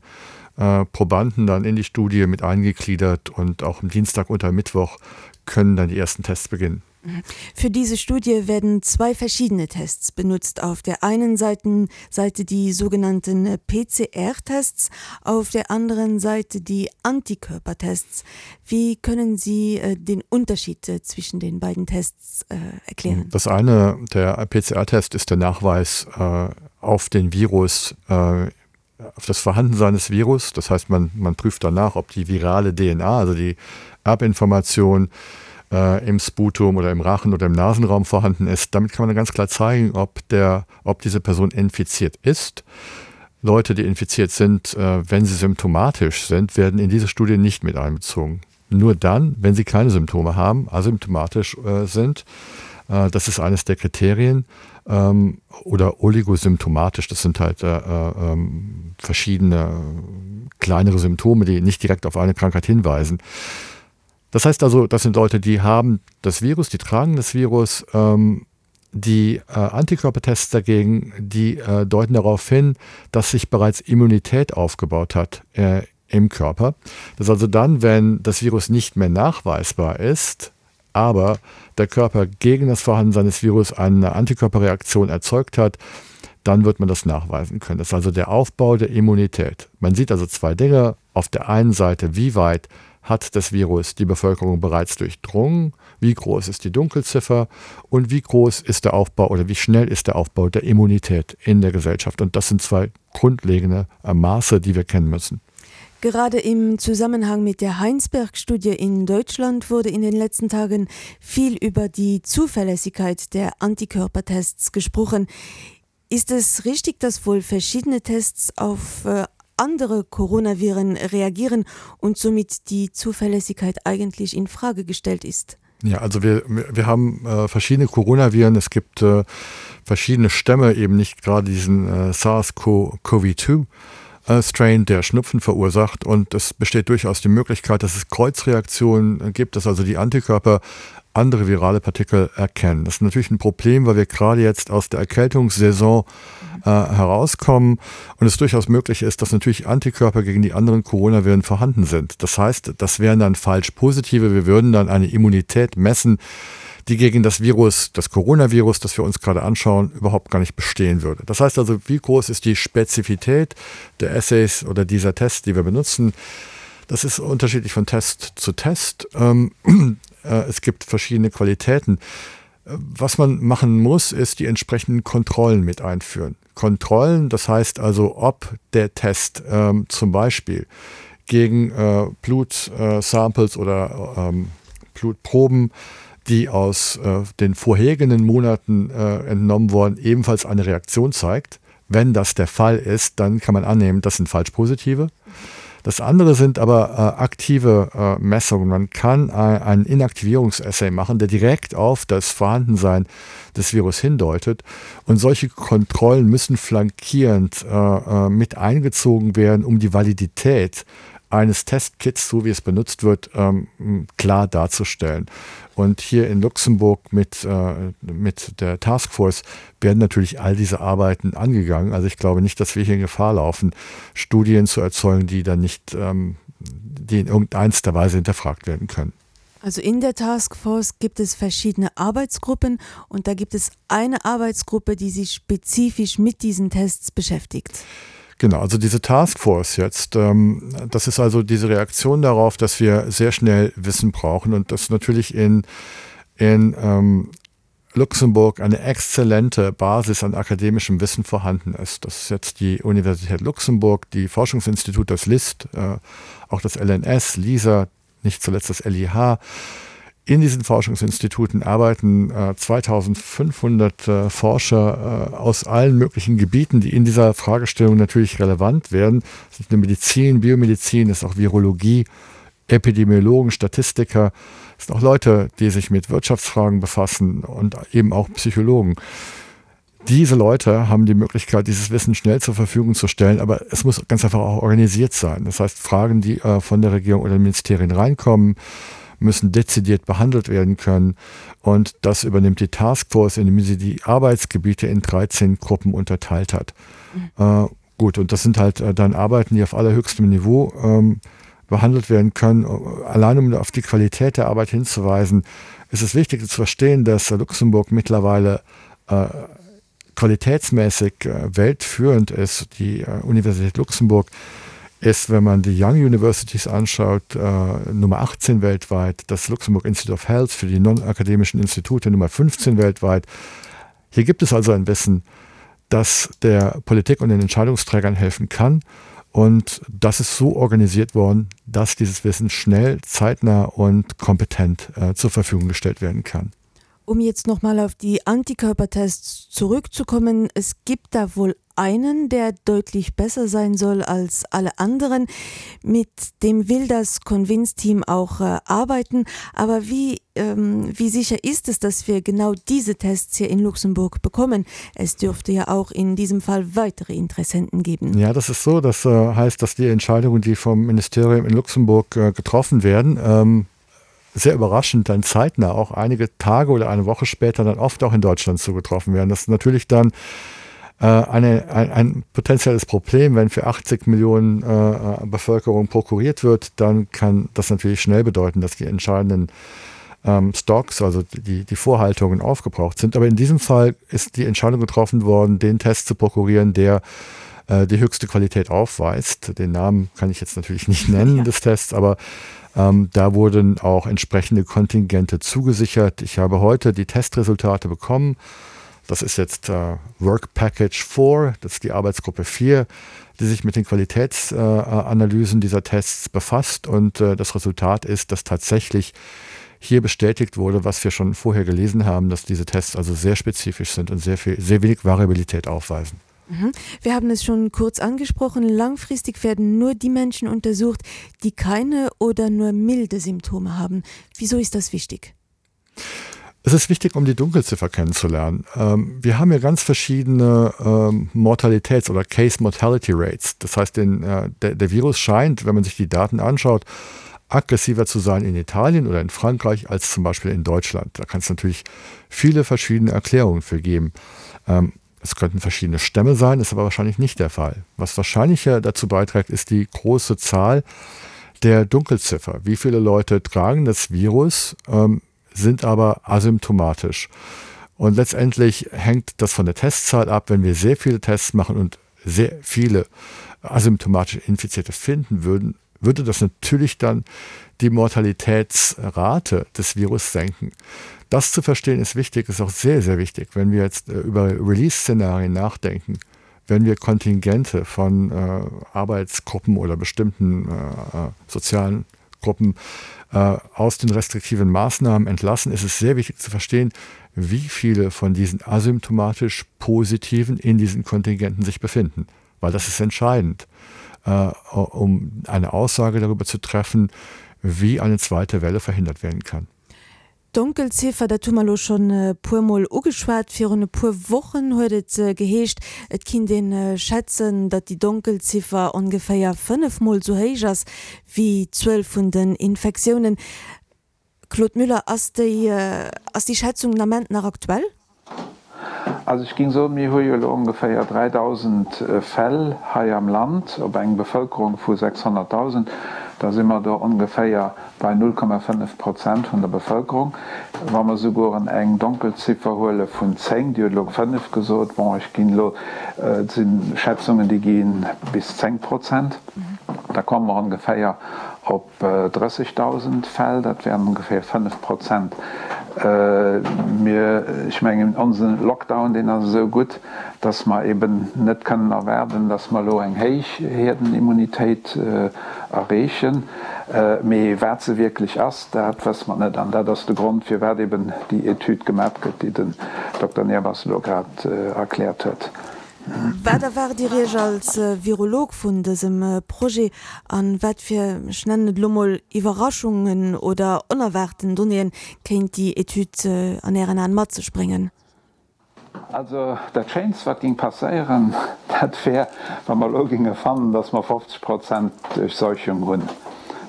äh, Probanden dann in die Studie mit eingegliedert und auch am Dienstag und am Mittwoch können dann die ersten Tests beginnen. Für diese Studie werden zwei verschiedene Tests benutzt. Auf der einen Seite, Seite die sogenannten P C R-Tests, auf der anderen Seite die Antikörpertests. Wie können Sie, äh, den Unterschied, äh, zwischen den beiden Tests, äh, erklären? Das eine, der P C R-Test, ist der Nachweis, äh, auf den Virus, äh, auf das Vorhandensein des Virus. Das heißt, man, man prüft danach, ob die virale D N A, also die Erbinformation, äh, im Sputum oder im Rachen oder im Nasenraum vorhanden ist. Damit kann man dann ganz klar zeigen, ob der, ob diese Person infiziert ist. Leute, die infiziert sind, äh, wenn sie symptomatisch sind, werden in diese Studie nicht mit einbezogen. Nur dann, wenn sie keine Symptome haben, asymptomatisch, äh, sind. Äh, das ist eines der Kriterien. Ähm, oder oligosymptomatisch, das sind halt, äh, äh, ähm, verschiedene kleinere Symptome, die nicht direkt auf eine Krankheit hinweisen. Das heißt also, das sind Leute, die haben das Virus, die tragen das Virus, ähm, die, äh, Antikörpertests dagegen, die, äh, deuten darauf hin, dass sich bereits Immunität aufgebaut hat, äh, im Körper. Das ist also dann, wenn das Virus nicht mehr nachweisbar ist, aber der Körper gegen das Vorhandensein des Virus eine Antikörperreaktion erzeugt hat, dann wird man das nachweisen können. Das ist also der Aufbau der Immunität. Man sieht also zwei Dinge. Auf der einen Seite, wie weit hat das Virus die Bevölkerung bereits durchdrungen? Wie groß ist die Dunkelziffer? Und wie groß ist der Aufbau oder wie schnell ist der Aufbau der Immunität in der Gesellschaft? Und das sind zwei grundlegende, äh, Maße, die wir kennen müssen. Gerade im Zusammenhang mit der Heinsberg-Studie in Deutschland wurde in den letzten Tagen viel über die Zuverlässigkeit der Antikörpertests gesprochen. Ist es richtig, dass wohl verschiedene Tests auf, äh, andere Coronaviren reagieren und somit die Zuverlässigkeit eigentlich in Frage gestellt ist? Ja, also wir, wir haben, äh, verschiedene Coronaviren. Es gibt, äh, verschiedene Stämme, eben nicht gerade diesen, äh, SARS-C O V zwei, äh, Strain, der Schnupfen verursacht. Und es besteht durchaus die Möglichkeit, dass es Kreuzreaktionen gibt, dass also die Antikörper andere virale Partikel erkennen. Das ist natürlich ein Problem, weil wir gerade jetzt aus der Erkältungssaison, äh, herauskommen und es durchaus möglich ist, dass natürlich Antikörper gegen die anderen Coronaviren vorhanden sind. Das heißt, das wären dann falsch positive. Wir würden dann eine Immunität messen, die gegen das Virus, das Coronavirus, das wir uns gerade anschauen, überhaupt gar nicht bestehen würde. Das heißt also, wie groß ist die Spezifität der Assays oder dieser Tests, die wir benutzen? Das ist unterschiedlich von Test zu Test. Ähm, äh, es gibt verschiedene Qualitäten. Was man machen muss, ist die entsprechenden Kontrollen mit einführen. Kontrollen, das heißt also, ob der Test, ähm, zum Beispiel gegen, äh, Blut-, äh, Samples oder, ähm, Blutproben, die aus, äh, den vorhergehenden Monaten, äh, entnommen wurden, ebenfalls eine Reaktion zeigt. Wenn das der Fall ist, dann kann man annehmen, das sind falsch positive. Das andere sind aber, äh, aktive, äh, Messungen. Man kann, äh, einen Inaktivierungsassay machen, der direkt auf das Vorhandensein des Virus hindeutet. Und solche Kontrollen müssen flankierend, äh, äh, mit eingezogen werden, um die Validität eines Testkits, so wie es benutzt wird, ähm, klar darzustellen. Und hier in Luxemburg mit, äh, mit der Taskforce werden natürlich all diese Arbeiten angegangen. Also ich glaube nicht, dass wir hier in Gefahr laufen, Studien zu erzeugen, die dann nicht, ähm, die in irgendeiner Weise hinterfragt werden können. Also in der Taskforce gibt es verschiedene Arbeitsgruppen und da gibt es eine Arbeitsgruppe, die sich spezifisch mit diesen Tests beschäftigt. Genau, also diese Taskforce jetzt, ähm, das ist also diese Reaktion darauf, dass wir sehr schnell Wissen brauchen und das natürlich in, in ähm, Luxemburg eine exzellente Basis an akademischem Wissen vorhanden ist. Das ist jetzt die Universität Luxemburg, die Forschungsinstitut, das LIST, äh, auch das L N S, LISA, nicht zuletzt das L I H. In diesen Forschungsinstituten arbeiten äh, zweitausendfünfhundert äh, Forscher äh, aus allen möglichen Gebieten, die in dieser Fragestellung natürlich relevant werden. Das ist eine Medizin, Biomedizin, das ist auch Virologie, Epidemiologen, Statistiker, es sind auch Leute, die sich mit Wirtschaftsfragen befassen und eben auch Psychologen. Diese Leute haben die Möglichkeit, dieses Wissen schnell zur Verfügung zu stellen, aber es muss ganz einfach auch organisiert sein. Das heißt, Fragen, die äh, von der Regierung oder den Ministerien reinkommen, müssen dezidiert behandelt werden können. Und das übernimmt die Taskforce, indem sie die Arbeitsgebiete in dreizehn Gruppen unterteilt hat. Mhm. Äh, gut, und das sind halt äh, dann Arbeiten, die auf allerhöchstem Niveau ähm, behandelt werden können. Allein um auf die Qualität der Arbeit hinzuweisen, ist es wichtig zu verstehen, dass Luxemburg mittlerweile äh, qualitätsmäßig äh, weltführend ist. Die äh, Universität Luxemburg ist, wenn man die Young Universities anschaut, äh, Nummer achtzehn weltweit, das Luxemburg Institute of Health für die non-akademischen Institute Nummer fünfzehn weltweit. Hier gibt es also ein Wissen, das der Politik und den Entscheidungsträgern helfen kann. Und das ist so organisiert worden, dass dieses Wissen schnell, zeitnah und kompetent äh, zur Verfügung gestellt werden kann. Um jetzt noch mal auf die Antikörpertests zurückzukommen, es gibt da wohl einen, der deutlich besser sein soll als alle anderen. Mit dem will das Convince-Team auch äh, arbeiten. Aber wie, ähm, wie sicher ist es, dass wir genau diese Tests hier in Luxemburg bekommen? Es dürfte ja auch in diesem Fall weitere Interessenten geben. Ja, das ist so. Das äh, heißt, dass die Entscheidungen, die vom Ministerium in Luxemburg äh, getroffen werden, ähm, sehr überraschend dann zeitnah auch einige Tage oder eine Woche später dann oft auch in Deutschland zugetroffen werden. Das ist natürlich dann äh, eine, ein, ein potenzielles Problem, wenn für achtzig Millionen äh, äh, Bevölkerung prokuriert wird, dann kann das natürlich schnell bedeuten, dass die entscheidenden ähm, Stocks, also die, die Vorhaltungen aufgebraucht sind. Aber in diesem Fall ist die Entscheidung getroffen worden, den Test zu prokurieren, der äh, die höchste Qualität aufweist. Den Namen kann ich jetzt natürlich nicht nennen ja. des Tests, aber ähm, da wurden auch entsprechende Kontingente zugesichert. Ich habe heute die Testresultate bekommen. Das ist jetzt äh, Work Package vier, das ist die Arbeitsgruppe vier, die sich mit den Qualitätsanalysen äh, dieser Tests befasst. Und äh, das Resultat ist, dass tatsächlich hier bestätigt wurde, was wir schon vorher gelesen haben, dass diese Tests also sehr spezifisch sind und sehr viel, sehr wenig Variabilität aufweisen. Mhm. Wir haben es schon kurz angesprochen. Langfristig werden nur die Menschen untersucht, die keine oder nur milde Symptome haben. Wieso ist das wichtig? Es ist wichtig, um die Dunkelziffer kennenzulernen. Ähm, wir haben ja ganz verschiedene ähm, Mortalitäts- oder Case Mortality Rates. Das heißt, den, äh, der, der Virus scheint, wenn man sich die Daten anschaut, aggressiver zu sein in Italien oder in Frankreich als zum Beispiel in Deutschland. Da kann es natürlich viele verschiedene Erklärungen für geben. Ähm, es könnten verschiedene Stämme sein, ist aber wahrscheinlich nicht der Fall. Was wahrscheinlicher dazu beiträgt, ist die große Zahl der Dunkelziffer. Wie viele Leute tragen das Virus, ähm, sind aber asymptomatisch. Und letztendlich hängt das von der Testzahl ab. Wenn wir sehr viele Tests machen und sehr viele asymptomatisch Infizierte finden würden, würde das natürlich dann die Mortalitätsrate des Virus senken. Das zu verstehen ist wichtig, ist auch sehr, sehr wichtig, wenn wir jetzt äh, über Release-Szenarien nachdenken, wenn wir Kontingente von äh, Arbeitsgruppen oder bestimmten äh, äh, sozialen Gruppen äh, aus den restriktiven Maßnahmen entlassen, ist es sehr wichtig zu verstehen, wie viele von diesen asymptomatisch Positiven in diesen Kontingenten sich befinden. Weil das ist entscheidend, äh, um eine Aussage darüber zu treffen, wie eine zweite Welle verhindert werden kann. D'Donkelziffer, dat hu mer lo schonn e puer Mol ugeschwat. Virun e puer Wochen huet et geheescht, et kinnt een schätzen, datt déi Donkelziffer ongeféier fënnef Mol sou héich ass wéi d'Zuel vun den Infektiounen. Claude Müller, ass déi, ass déi Schätzung den Ament nach aktuell? Also ech géing soen, mir hu jo elo ongeféier dräidausend Fäll hei am Land op eng Bevëlkerung vu sechshonnertdausend. Da si mer do ongeféier bei null Komma fënnef Prozent vun der Bevëlkerung. Wa mer sougueren eng Donkelziffer huele vun zéng, Dir hutt elo fënnef gesot, bon, ech ginn elo, et si Schätzungen, déi gi bis zéng Prozent, da komme mer ongeféier op drëssegdausend Fäll, dat wären ongeféier fënnef Prozent. Mir, ech mengen, onse Lockdown, deen ass esou gutt, dass mer eben net kënnen erwaarden, dass mer elo eng héich Hierdenimmunitéit erreechen. Mee wat se wierklech ass, dat wësse mer net. An dat ass de Grond, firwat eben déi Etüd gemat gëtt, déi den Dokter Nehrbass elo grad erkläert huet. Wat erwaart Dir Iech als Virolog vun dësem Projet an wat fir, ech nennen et elo mol, Iwwerraschungen oder onerwaarten Donnéeën kéint déi Etüd an Ären Aen mat sech bréngen? Also dat Schéinst wat géing passéieren, dat wär, wa mer elo géinge fannen, datt mer fofzeg Prozent Durchseuchung hunn.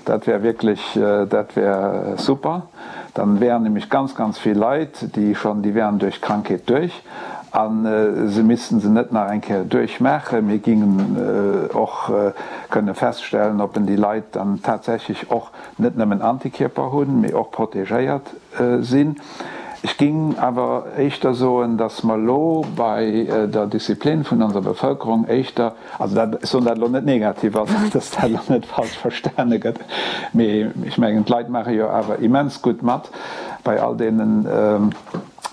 Dat wär wierklech, dat wär super. Dann wären nämlech ganz, ganz vill Leit, déi schonn, déi wären duerch d'Krankheet duerch a se missten se net nach eng Kéier duerchmaachen. Mir gingen och kënne feststellen, ob en déi Leit dann tatsächlech och net nëmmen Antikierper hunn, mee och protegéiert sinn. Ech ging awer éischter soen, dass mer elo bei der Disziplin vun onser Bevëlkerung éischter, also dat, ech soen dat elo net negativ, also dass dat elo net falsch verstane gëtt, mee ech mengen, d'Leit maache jo awer immens gutt mat bei all deenen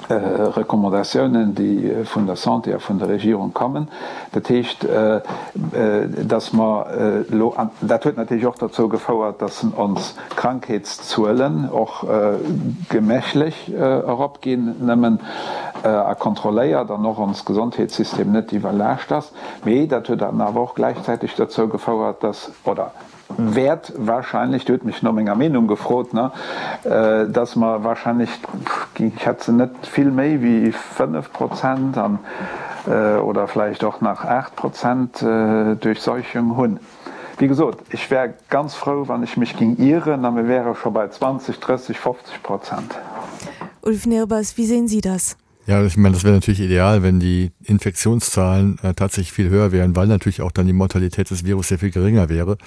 Recommandatiounen, déi vun der Santé a vun der Regierung kommen. Dat heescht, dass mer elo, an dat huet natierlech och dozou gefouert, dass ons Krankheetszuelen och gemächlech eropginn, nëmmen a kontrolléiert, an och ons Gesondheetssystem net iwwerlaascht ass. Mee dat huet dann awer och gläichzäiteg dozou gefouert, dass, oder wäert wahrscheinlech, Dir hutt mech no menger Meenung gefrot, ne, dass mer wahrscheinlech, ech schätzen, net vill méi wéi fënnef Prozent an, oder vläicht och nach aacht Prozent Duerchseuchung hunn. Wéi gesot, ech wär ganz frou, wann ech mech géing ieren a mir wäre scho bei zwanzeg, drësseg, fofzeg Prozent. Ulf Nehrbass, wie sehen Sie das? Ja, ich meine, das wäre natürlich ideal, wenn die Infektionszahlen äh, tatsächlich viel höher wären, weil natürlich auch dann die Mortalität des Virus sehr viel geringer wäre.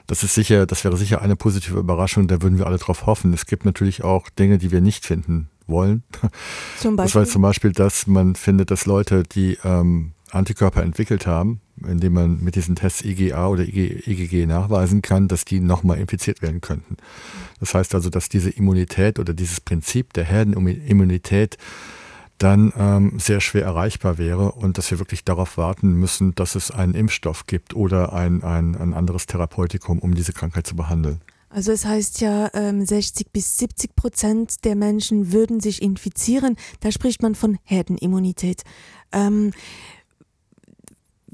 Das ist sicher, das wäre sicher eine positive Überraschung, da würden wir alle drauf hoffen. Es gibt natürlich auch Dinge, die wir nicht finden wollen. Zum Das war Beispiel? zum Beispiel, dass man findet, dass Leute, die, ähm, Antikörper entwickelt haben, indem man mit diesen Tests I G A oder I G, I G G nachweisen kann, dass die nochmal infiziert werden könnten. Das heißt also, dass diese Immunität oder dieses Prinzip der Herdenimmunität dann, ähm, sehr schwer erreichbar wäre und dass wir wirklich darauf warten müssen, dass es einen Impfstoff gibt oder ein, ein, ein anderes Therapeutikum, um diese Krankheit zu behandeln. Also es heißt ja, ähm, sechzig bis siebzig Prozent der Menschen würden sich infizieren. Da spricht man von Herdenimmunität. Ähm,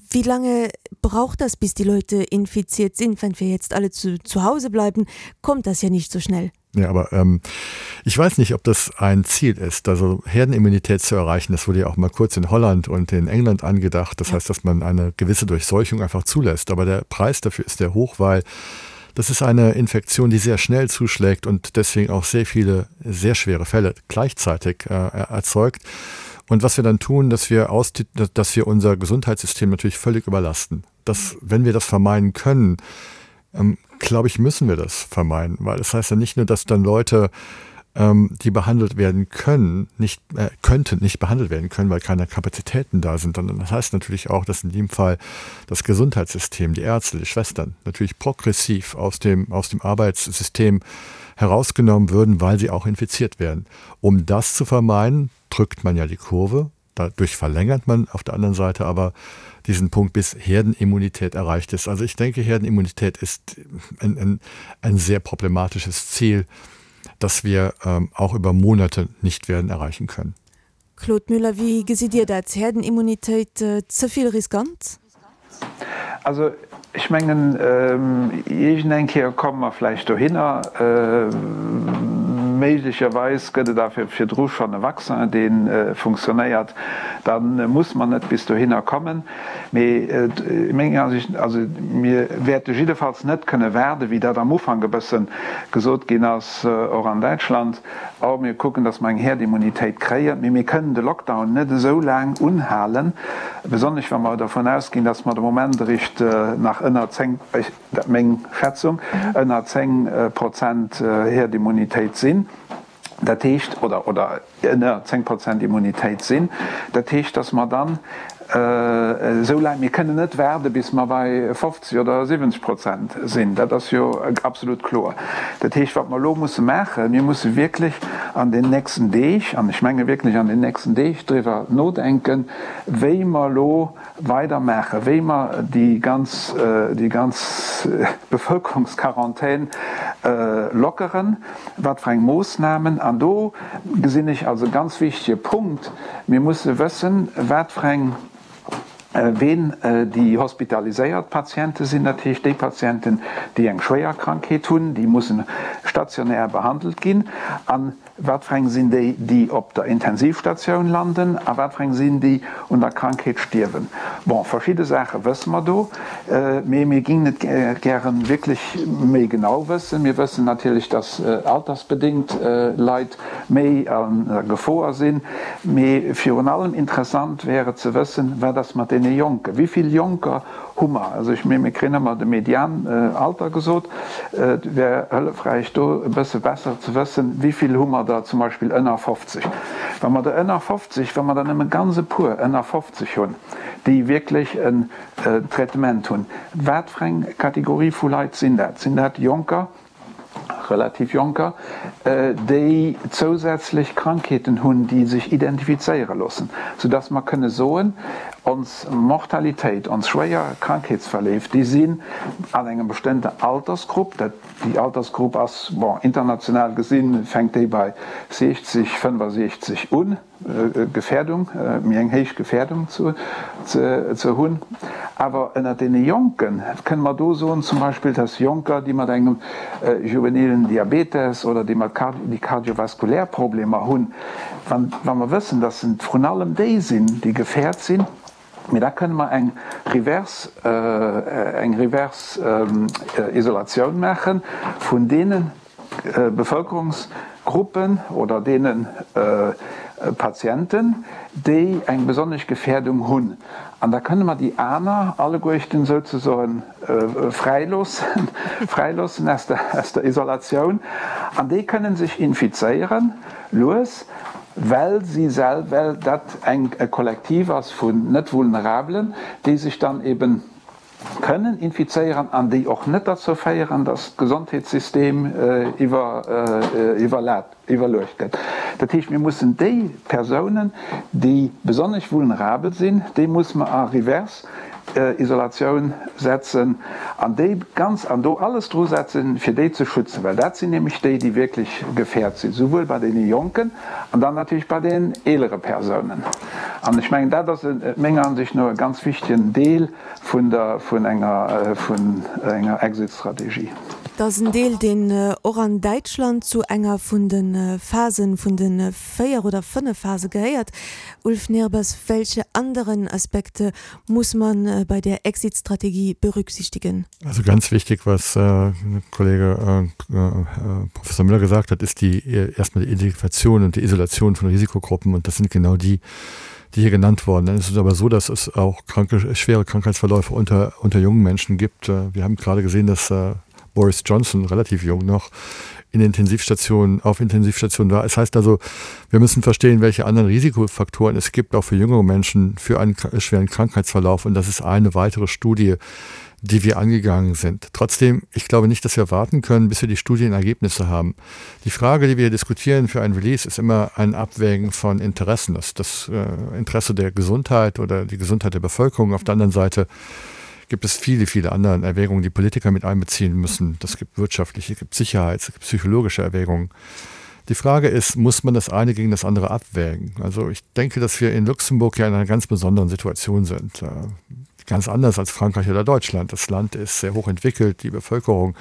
wie lange braucht das, bis die Leute infiziert sind? Wenn wir jetzt alle zu, zu Hause bleiben, kommt das ja nicht so schnell. Ja, aber, ähm, ich weiß nicht, ob das ein Ziel ist, also Herdenimmunität zu erreichen. Das wurde ja auch mal kurz in Holland und in England angedacht. Das Ja. heißt, dass man eine gewisse Durchseuchung einfach zulässt. Aber der Preis dafür ist sehr hoch, weil das ist eine Infektion, die sehr schnell zuschlägt und deswegen auch sehr viele, sehr schwere Fälle gleichzeitig, äh, erzeugt. Und was wir dann tun, dass wir aus, dass wir unser Gesundheitssystem natürlich völlig überlasten. Dass, wenn wir das vermeiden können, ähm, glaube ich, müssen wir das vermeiden, weil das heißt ja nicht nur, dass dann Leute, ähm, die behandelt werden können, nicht, äh, könnten, nicht behandelt werden können, weil keine Kapazitäten da sind, sondern das heißt natürlich auch, dass in dem Fall das Gesundheitssystem, die Ärzte, die Schwestern natürlich progressiv aus dem, aus dem Arbeitssystem herausgenommen würden, weil sie auch infiziert werden. Um das zu vermeiden, drückt man ja die Kurve, dadurch verlängert man auf der anderen Seite aber diesen Punkt, bis Herdenimmunität erreicht ist. Also ich denke, Herdenimmunität ist ein, ein, ein sehr problematisches Ziel, das wir, ähm, auch über Monate nicht werden erreichen können. Claude Müller, wie gesitt Dir dat? Herdenimmunität, äh, ze vill riskant? Also ech mengen, ähm, iergendeng Kéier komme mer vläicht dohinner. Äh, Méiglecherweis gëtt et awer virdru schonn e Vaccin, dee funktionéiert. Da muss mer net bis dohinner kommen. Mee menger Ansicht, also mir wäerte jiddefalls net kënne waarden, wéi dat am Ufank e bësse gesot ginn ass, och an Däitschland, Oh, mir kucken, datt mer eng Herdimmunitéit kréien. Mee mir kënnen de Lockdown net esou laang unhalen, besonnesch wa mer dervun ausginn, datt mer de Moment eréischt nach ënner zéng, dat meng Schätzung, ënner zéng Prozent Herdimmunitéit sinn. Dat heescht, oder, oder ënner zéng Prozent Immunitéit sinn. Dat heescht, datt mer dann esou laang, mir kënnen net waarde bis mer bei fofzeg oder siwwenzeg Prozent sinn, dat ass jo absolut kloer. Dat heescht, wat mer elo musse maachen, mir musse wierklech an den nächsten Deeg, an ech menge wierklech an den nächsten Deeg, driwwer nodenken, wéi mer elo weidermaachen, wéi mer déi ganz, déi ganz Bevölkerungsquarantän lockeren, wat fir eng Moossnamen. An do gesinn ech als e ganz wichtige Punkt, Mir musse wëssen, wat fir eng, ween déi hospitaliséiert Patiente sinn, dat heescht déi Patienten, déi eng schwéier Krankheet hunn, déi mussen stationär behandelt ginn, an wat fir eng sinn déi, déi op der Intensivstatioun landen, a wat fir eng sinn déi un der Krankheet stierwen. Bon, verschidde Saache wësse mer do, mee mir gingen et gäre wierklech méi genau wëssen. Mir wëssen natierlech, dass altersbedéngt Leit méi an der Gefoer sinn. Mee virun allem interessant wär et ze wëssen, wat ass mat deene Jonken? Wéi vill Jonker hu mer? Also ech menge mir kréien ëmmer de Median-Alter gesot. Et wär hëllefräich do e bësse besser ze wëssen, wéi vill hu mer der zum Beispill ënner fofzeg. Wa mer der ënner fofzeg, wa mer der nëmme ganz e puer ënner fofzeg hunn, déi wierklech en Traitement hunn, wat fir eng Kategorie vu Leit sinn dat? Sinn dat Jonker? relativ Jonker, déi zousätzlech Krankheeten hunn, déi sech identifizéiere loossen, soudass mer kënne soen, ons Mortalitéit, ons schwéier Krankheetsverleef, déi sinn an engem bestëmmten Altersgrupp, dat, déi Altersgrupp ass, bon, international gesinn, fänkt déi bei siechzeg, fënnfasiechzeg un. Gefährdung, méi eng héich Gefährdung ze hunn. Awer ënnert deene Jonke kënne mer do soen zum Beispill, dass Jonker, déi mat engem juvenilen Diabetes oder déi mat déi kardiovaskulär Problemer hunn, wa mer wëssen, dass et vrun allem déi sinn, déi gefährt sinn, mee da kënne mer eng reverse eng reverse Isolatioun maache vun deene Bevölkerungsgruppen oder deene Patienten, déi eng besonnesch Gefährdung hunn. An da kënne mer déi aner alleguerten souzesoen fräiloossen, fräiloossen aus der, aus der Isolatioun. An déi kënne sech infizéieren, lues, well si sel, well dat eng, e Kollektiv ass vun net Vulnerabelen, déi sech dann eben kënnen infizéieren an déi och net derzou féieren, datt d'Gesondheetssystem iwwerluecht gëtt. Dat heescht, mir mussen déi Persounen, déi besonnesch vulnerabel sinn, déi musse mer a reverse Isolatioun setzen an déi ganz an do alles dru setzen, fir déi ze schützen, well dat sinn nämlech déi, déi wierklech gefährt sinn, souwuel bei deene Jonken an dann natierlech bei den eelere Persounen. An ech mengen, dat ass menger Ansicht no e ganz wichtegen Deel vun der, vun enger, vun enger Exit-Strategie. Et ass en Deel, deen och an Däitschland zu enger vun de Phasen, vun de véier oder fënnef Phase gehéiert. Ulf Nehrbass, welche anderen Aspekte muss man bei der Exit-Strategie berücksichtigen? Also ganz wichtig, was äh, Kollege äh, äh, Professor Müller gesagt hat, ist die erstmal die Identifikation und die Isolation von Risikogruppen und das sind genau die, die hier genannt worden. Dann ist es aber so, dass es auch kranke, schwere Krankheitsverläufe unter, unter jungen Menschen gibt. Wir haben gerade gesehen, dass äh, Boris Johnson relativ jung noch in Intensivstationen auf Intensivstationen war. Es heißt also, wir müssen verstehen, welche anderen Risikofaktoren es gibt, auch für jüngere Menschen für einen schweren Krankheitsverlauf und das ist eine weitere Studie, die wir angegangen sind. Trotzdem, ich glaube nicht, dass wir warten können, bis wir die Studienergebnisse haben. Die Frage, die wir diskutieren für ein Release, ist immer ein Abwägen von Interessen. Das, das äh, Interesse der Gesundheit oder die Gesundheit der Bevölkerung auf der anderen Seite gibt es viele, viele andere Erwägungen, die Politiker mit einbeziehen müssen. Das gibt wirtschaftliche, gibt Sicherheits-, gibt psychologische Erwägungen. Die Frage ist, muss man das eine gegen das andere abwägen? Also ich denke, dass wir in Luxemburg ja in einer ganz besonderen Situation sind. Ganz anders als Frankreich oder Deutschland. Das Land ist sehr hoch entwickelt, die Bevölkerung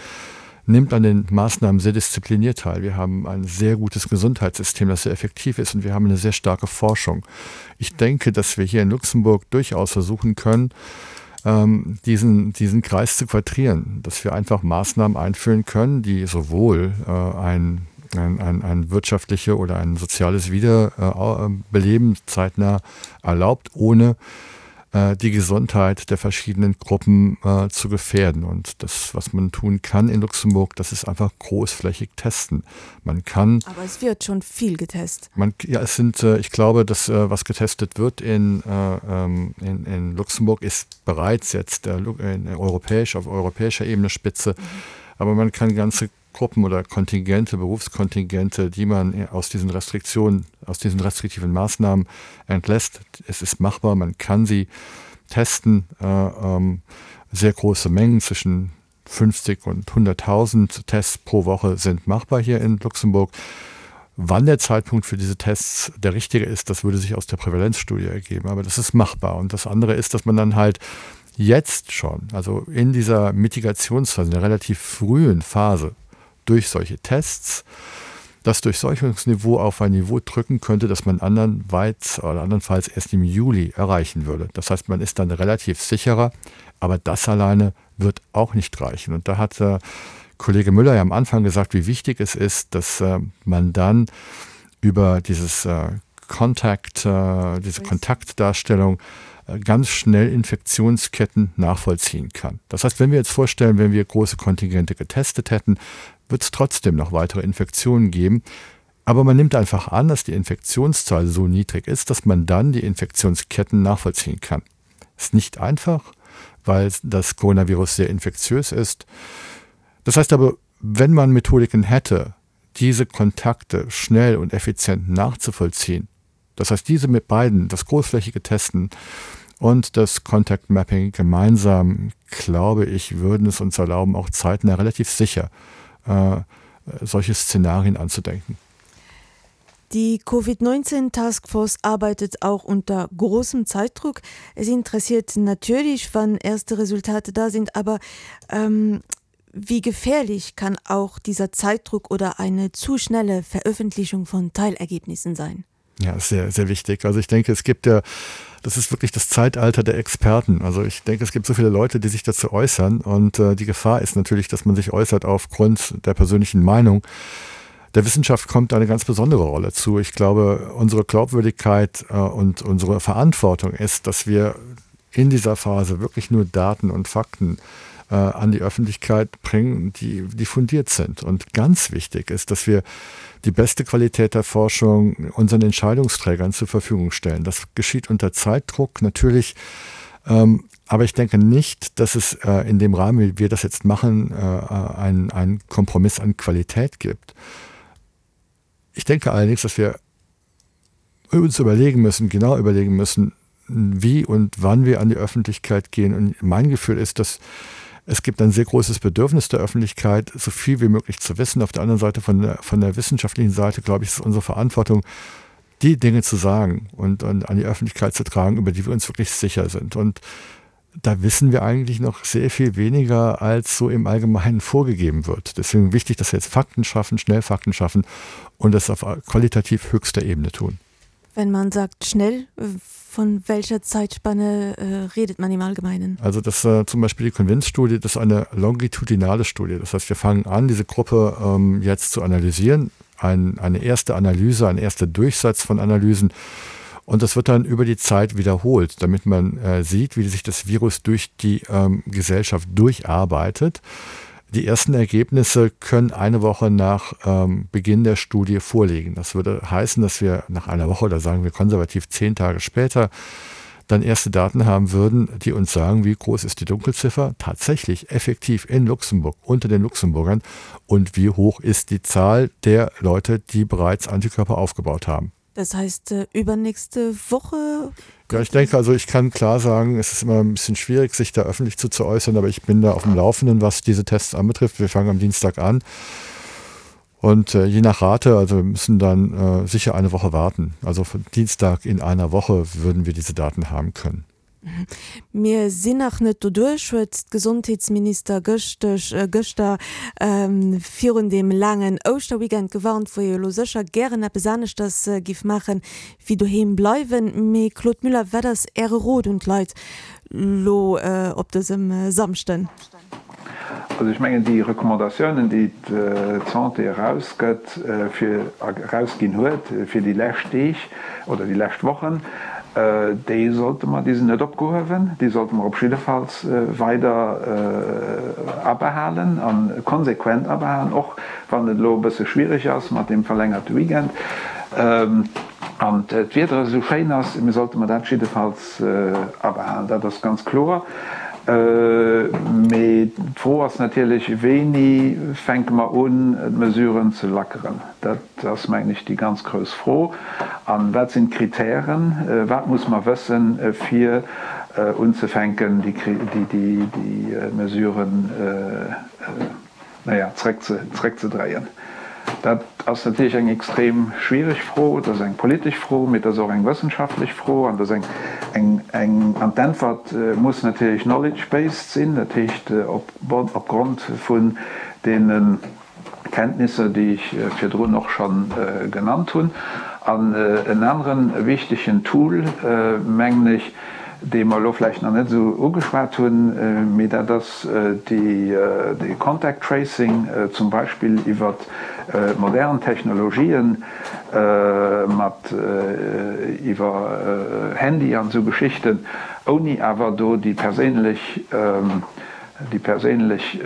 nimmt an den Maßnahmen sehr diszipliniert teil. Wir haben ein sehr gutes Gesundheitssystem, das sehr effektiv ist und wir haben eine sehr starke Forschung. Ich denke, dass wir hier in Luxemburg durchaus versuchen können, ähm, diesen, diesen Kreis zu quadrieren, dass wir einfach Maßnahmen einführen können, die sowohl äh, ein, ein, ein, ein wirtschaftliche oder ein soziales Wiederbeleben zeitnah erlaubt, ohne äh, die Gesundheit der verschiedenen Gruppen äh, zu gefährden. Und das, was man tun kann in Luxemburg, das ist einfach großflächig testen. Man kann. Aber es wird schon viel getestet. Man, ja, es sind, äh, ich glaube, dass äh, was getestet wird in, äh, ähm, in, in Luxemburg, ist bereits jetzt äh, in europäisch, auf europäischer Ebene Spitze. Mhm. Aber man kann ganze Gruppen oder Kontingente, Berufskontingente, die man aus diesen Restriktionen, aus diesen restriktiven Maßnahmen entlässt. Es ist machbar, man kann sie testen. Äh, ähm, sehr große Mengen zwischen fünfzig und hunderttausend Tests pro Woche sind machbar hier in Luxemburg. Wann der Zeitpunkt für diese Tests der richtige ist, das würde sich aus der Prävalenzstudie ergeben, aber das ist machbar. Und das andere ist, dass man dann halt jetzt schon, also in dieser Mitigationsphase, in der relativ frühen Phase, durch solche Tests das Durchseuchungsniveau auf ein Niveau drücken könnte, das man andernweit oder andernfalls erst im Juli erreichen würde. Das heißt, man ist dann relativ sicherer, aber das alleine wird auch nicht reichen. Und da hat äh, Kollege Müller ja am Anfang gesagt, wie wichtig es ist, dass äh, man dann über dieses, äh, Kontakt, äh, diese Kontaktdarstellung äh, ganz schnell Infektionsketten nachvollziehen kann. Das heißt, wenn wir jetzt vorstellen, wenn wir große Kontingente getestet hätten, wird es trotzdem noch weitere Infektionen geben. Aber man nimmt einfach an, dass die Infektionszahl so niedrig ist, dass man dann die Infektionsketten nachvollziehen kann. Ist nicht einfach, weil das Coronavirus sehr infektiös ist. Das heißt aber, wenn man Methodiken hätte, diese Kontakte schnell und effizient nachzuvollziehen, das heißt, diese mit beiden, das großflächige Testen und das Contact Mapping gemeinsam, glaube ich, würden es uns erlauben, auch zeitnah relativ sicher, äh, solche Szenarien anzudenken. Die Covid neunzehn Taskforce arbeitet auch unter großem Zeitdruck. Es interessiert natürlich, wann erste Resultate da sind, aber, ähm, wie gefährlich kann auch dieser Zeitdruck oder eine zu schnelle Veröffentlichung von Teilergebnissen sein? Ja, sehr, sehr wichtig. Also ich denke, es gibt ja, das ist wirklich das Zeitalter der Experten. Also ich denke, es gibt so viele Leute, die sich dazu äußern und, äh, die Gefahr ist natürlich, dass man sich äußert aufgrund der persönlichen Meinung. Der Wissenschaft kommt eine ganz besondere Rolle zu. Ich glaube, unsere Glaubwürdigkeit, äh, und unsere Verantwortung ist, dass wir in dieser Phase wirklich nur Daten und Fakten, äh, an die Öffentlichkeit bringen, die, die fundiert sind. Und ganz wichtig ist, dass wir die beste Qualität der Forschung unseren Entscheidungsträgern zur Verfügung stellen. Das geschieht unter Zeitdruck natürlich, ähm, aber ich denke nicht, dass es, äh, in dem Rahmen, wie wir das jetzt machen, äh, einen, einen Kompromiss an Qualität gibt. Ich denke allerdings, dass wir uns überlegen müssen, genau überlegen müssen, wie und wann wir an die Öffentlichkeit gehen. Und mein Gefühl ist, dass es gibt ein sehr großes Bedürfnis der Öffentlichkeit, so viel wie möglich zu wissen. Auf der anderen Seite, von der, von der wissenschaftlichen Seite, glaube ich, ist es unsere Verantwortung, die Dinge zu sagen und, und an die Öffentlichkeit zu tragen, über die wir uns wirklich sicher sind. Und da wissen wir eigentlich noch sehr viel weniger, als so im Allgemeinen vorgegeben wird. Deswegen wichtig, dass wir jetzt Fakten schaffen, schnell Fakten schaffen und das auf qualitativ höchster Ebene tun. Wenn man sagt schnell, von welcher Zeitspanne, äh, redet man im Allgemeinen? Also das, äh, zum Beispiel die CONVINCE-Studie, das ist eine longitudinale Studie. Das heißt, wir fangen an, diese Gruppe, ähm, jetzt zu analysieren. Ein, eine erste Analyse, ein erster Durchsatz von Analysen. Und das wird dann über die Zeit wiederholt, damit man, äh, sieht, wie sich das Virus durch die, ähm, Gesellschaft durcharbeitet. Die ersten Ergebnisse können eine Woche nach, ähm, Beginn der Studie vorliegen. Das würde heißen, dass wir nach einer Woche, oder sagen wir konservativ zehn Tage später, dann erste Daten haben würden, die uns sagen, wie groß ist die Dunkelziffer tatsächlich effektiv in Luxemburg, unter den Luxemburgern und wie hoch ist die Zahl der Leute, die bereits Antikörper aufgebaut haben. Das heißt, äh, übernächste Woche? Ja, ich denke, also ich kann klar sagen, es ist immer ein bisschen schwierig, sich da öffentlich zu, zu äußern, aber ich bin da auf dem Laufenden, was diese Tests anbetrifft. Wir fangen am Dienstag an und, äh, je nach Rate, also wir müssen dann, äh, sicher eine Woche warten. Also von Dienstag in einer Woche würden wir diese Daten haben können. Mir sinn nach net doduerch, huet d'Gesondheetsminister gëschteg, gëschter virun deem laangen Ouschterweekend gewarnt, wou ee jo elo sécher gären eppes aneschters giff maachen, wéi doheem bleiwen. Mee Claude Müller, wat ass Äre Rot un d'Leit elo op dësem Samschden? Also ech mengen, déi Recommandatiounen, déi d'Santé erausgëtt, fir, erausginn huet fir déi lescht Deeg oder déi lescht Wochen, déi sollte mer, déi sinn net opgehuewen, déi sollte mer op jiddefalls weider abehalen a konsequent abehalen, och wann et elo e bësse schwierig ass mat deem verlängerte Weekend an d'Wieder esou schéin ass. Mir sollte mer dat jiddefalls abehalen, dat ass ganz kloer. Mee d'Fro ass natierlech, Wéini fänke mer un, d'Mesuren ze lackeren? Dat ass, mengen ech, déi ganz grouss Fro. A wat sinn d'Kritären? Wat muss mer wëssen, fir unzefänken, déi Mesuren, naja, zréckzedréien? Dat ass natierlech eng extrem schwierig Fro. Dat ass eng politesch Fro, mee et ass och eng wëssenschaftlech Fro. An dat ass eng, eng, an d'Äntwert muss natierlech knowledge-based sinn, dat heescht op, opgrond vun deene Kenntnisser, déi ech virdrun och scho genannt hunn. An en anere wichtegen Tool, mengen ech, dee mer elo vläicht nach net esou ugeschwat hunn, mee dat ass de Contact Tracing, zum Beispill iwwer modern Technologien, mat iwwer Handy an esou Geschichten, ouni awer do déi perséinlech, déi perséinlech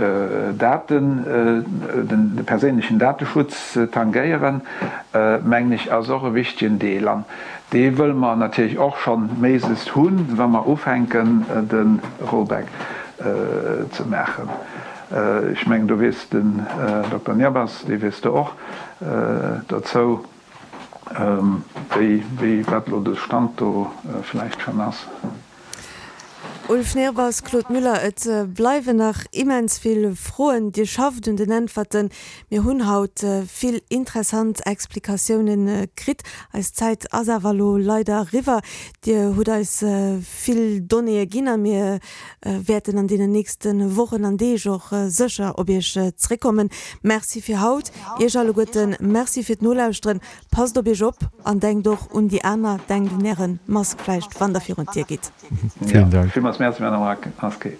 Daten, de perséinlechen Dateschutz ze tangéieren, mengen ech, ass och e wichtegen Deel. An dee wëlle mer natierlech och schonn méiglechst hunn, wa mer ufänken, de Rollback ze maachen. Ech mengen, do weess den Dokter Nehrbass, dee weess do och dozou, wéi, wéi, wat elo de Stand do vläicht schonn ass. Ulf Nehrbass, Claude Müller, et bleiwen nach immens vill Froen. Dir schafft un den Äntwerten. Mir hunn haut vill interessant Explikatiounen kritt. Eis Zäit ass awer elo leider eriwwer. Dir hutt eis vill Donnéeë ginn a mir wäerten an deenen nächste Wochen an Deeg och sécher op Iech zréckkommen. Merci fir haut. Iech alleguerten Merci fir d'Nolauschteren. Passt op Iech op an denkt och un déi aner. Denkt un Äre Mask vläicht, wann Der virun d'Dier gitt. Vielen Dank. Villmools Merci, Madame Rasqué.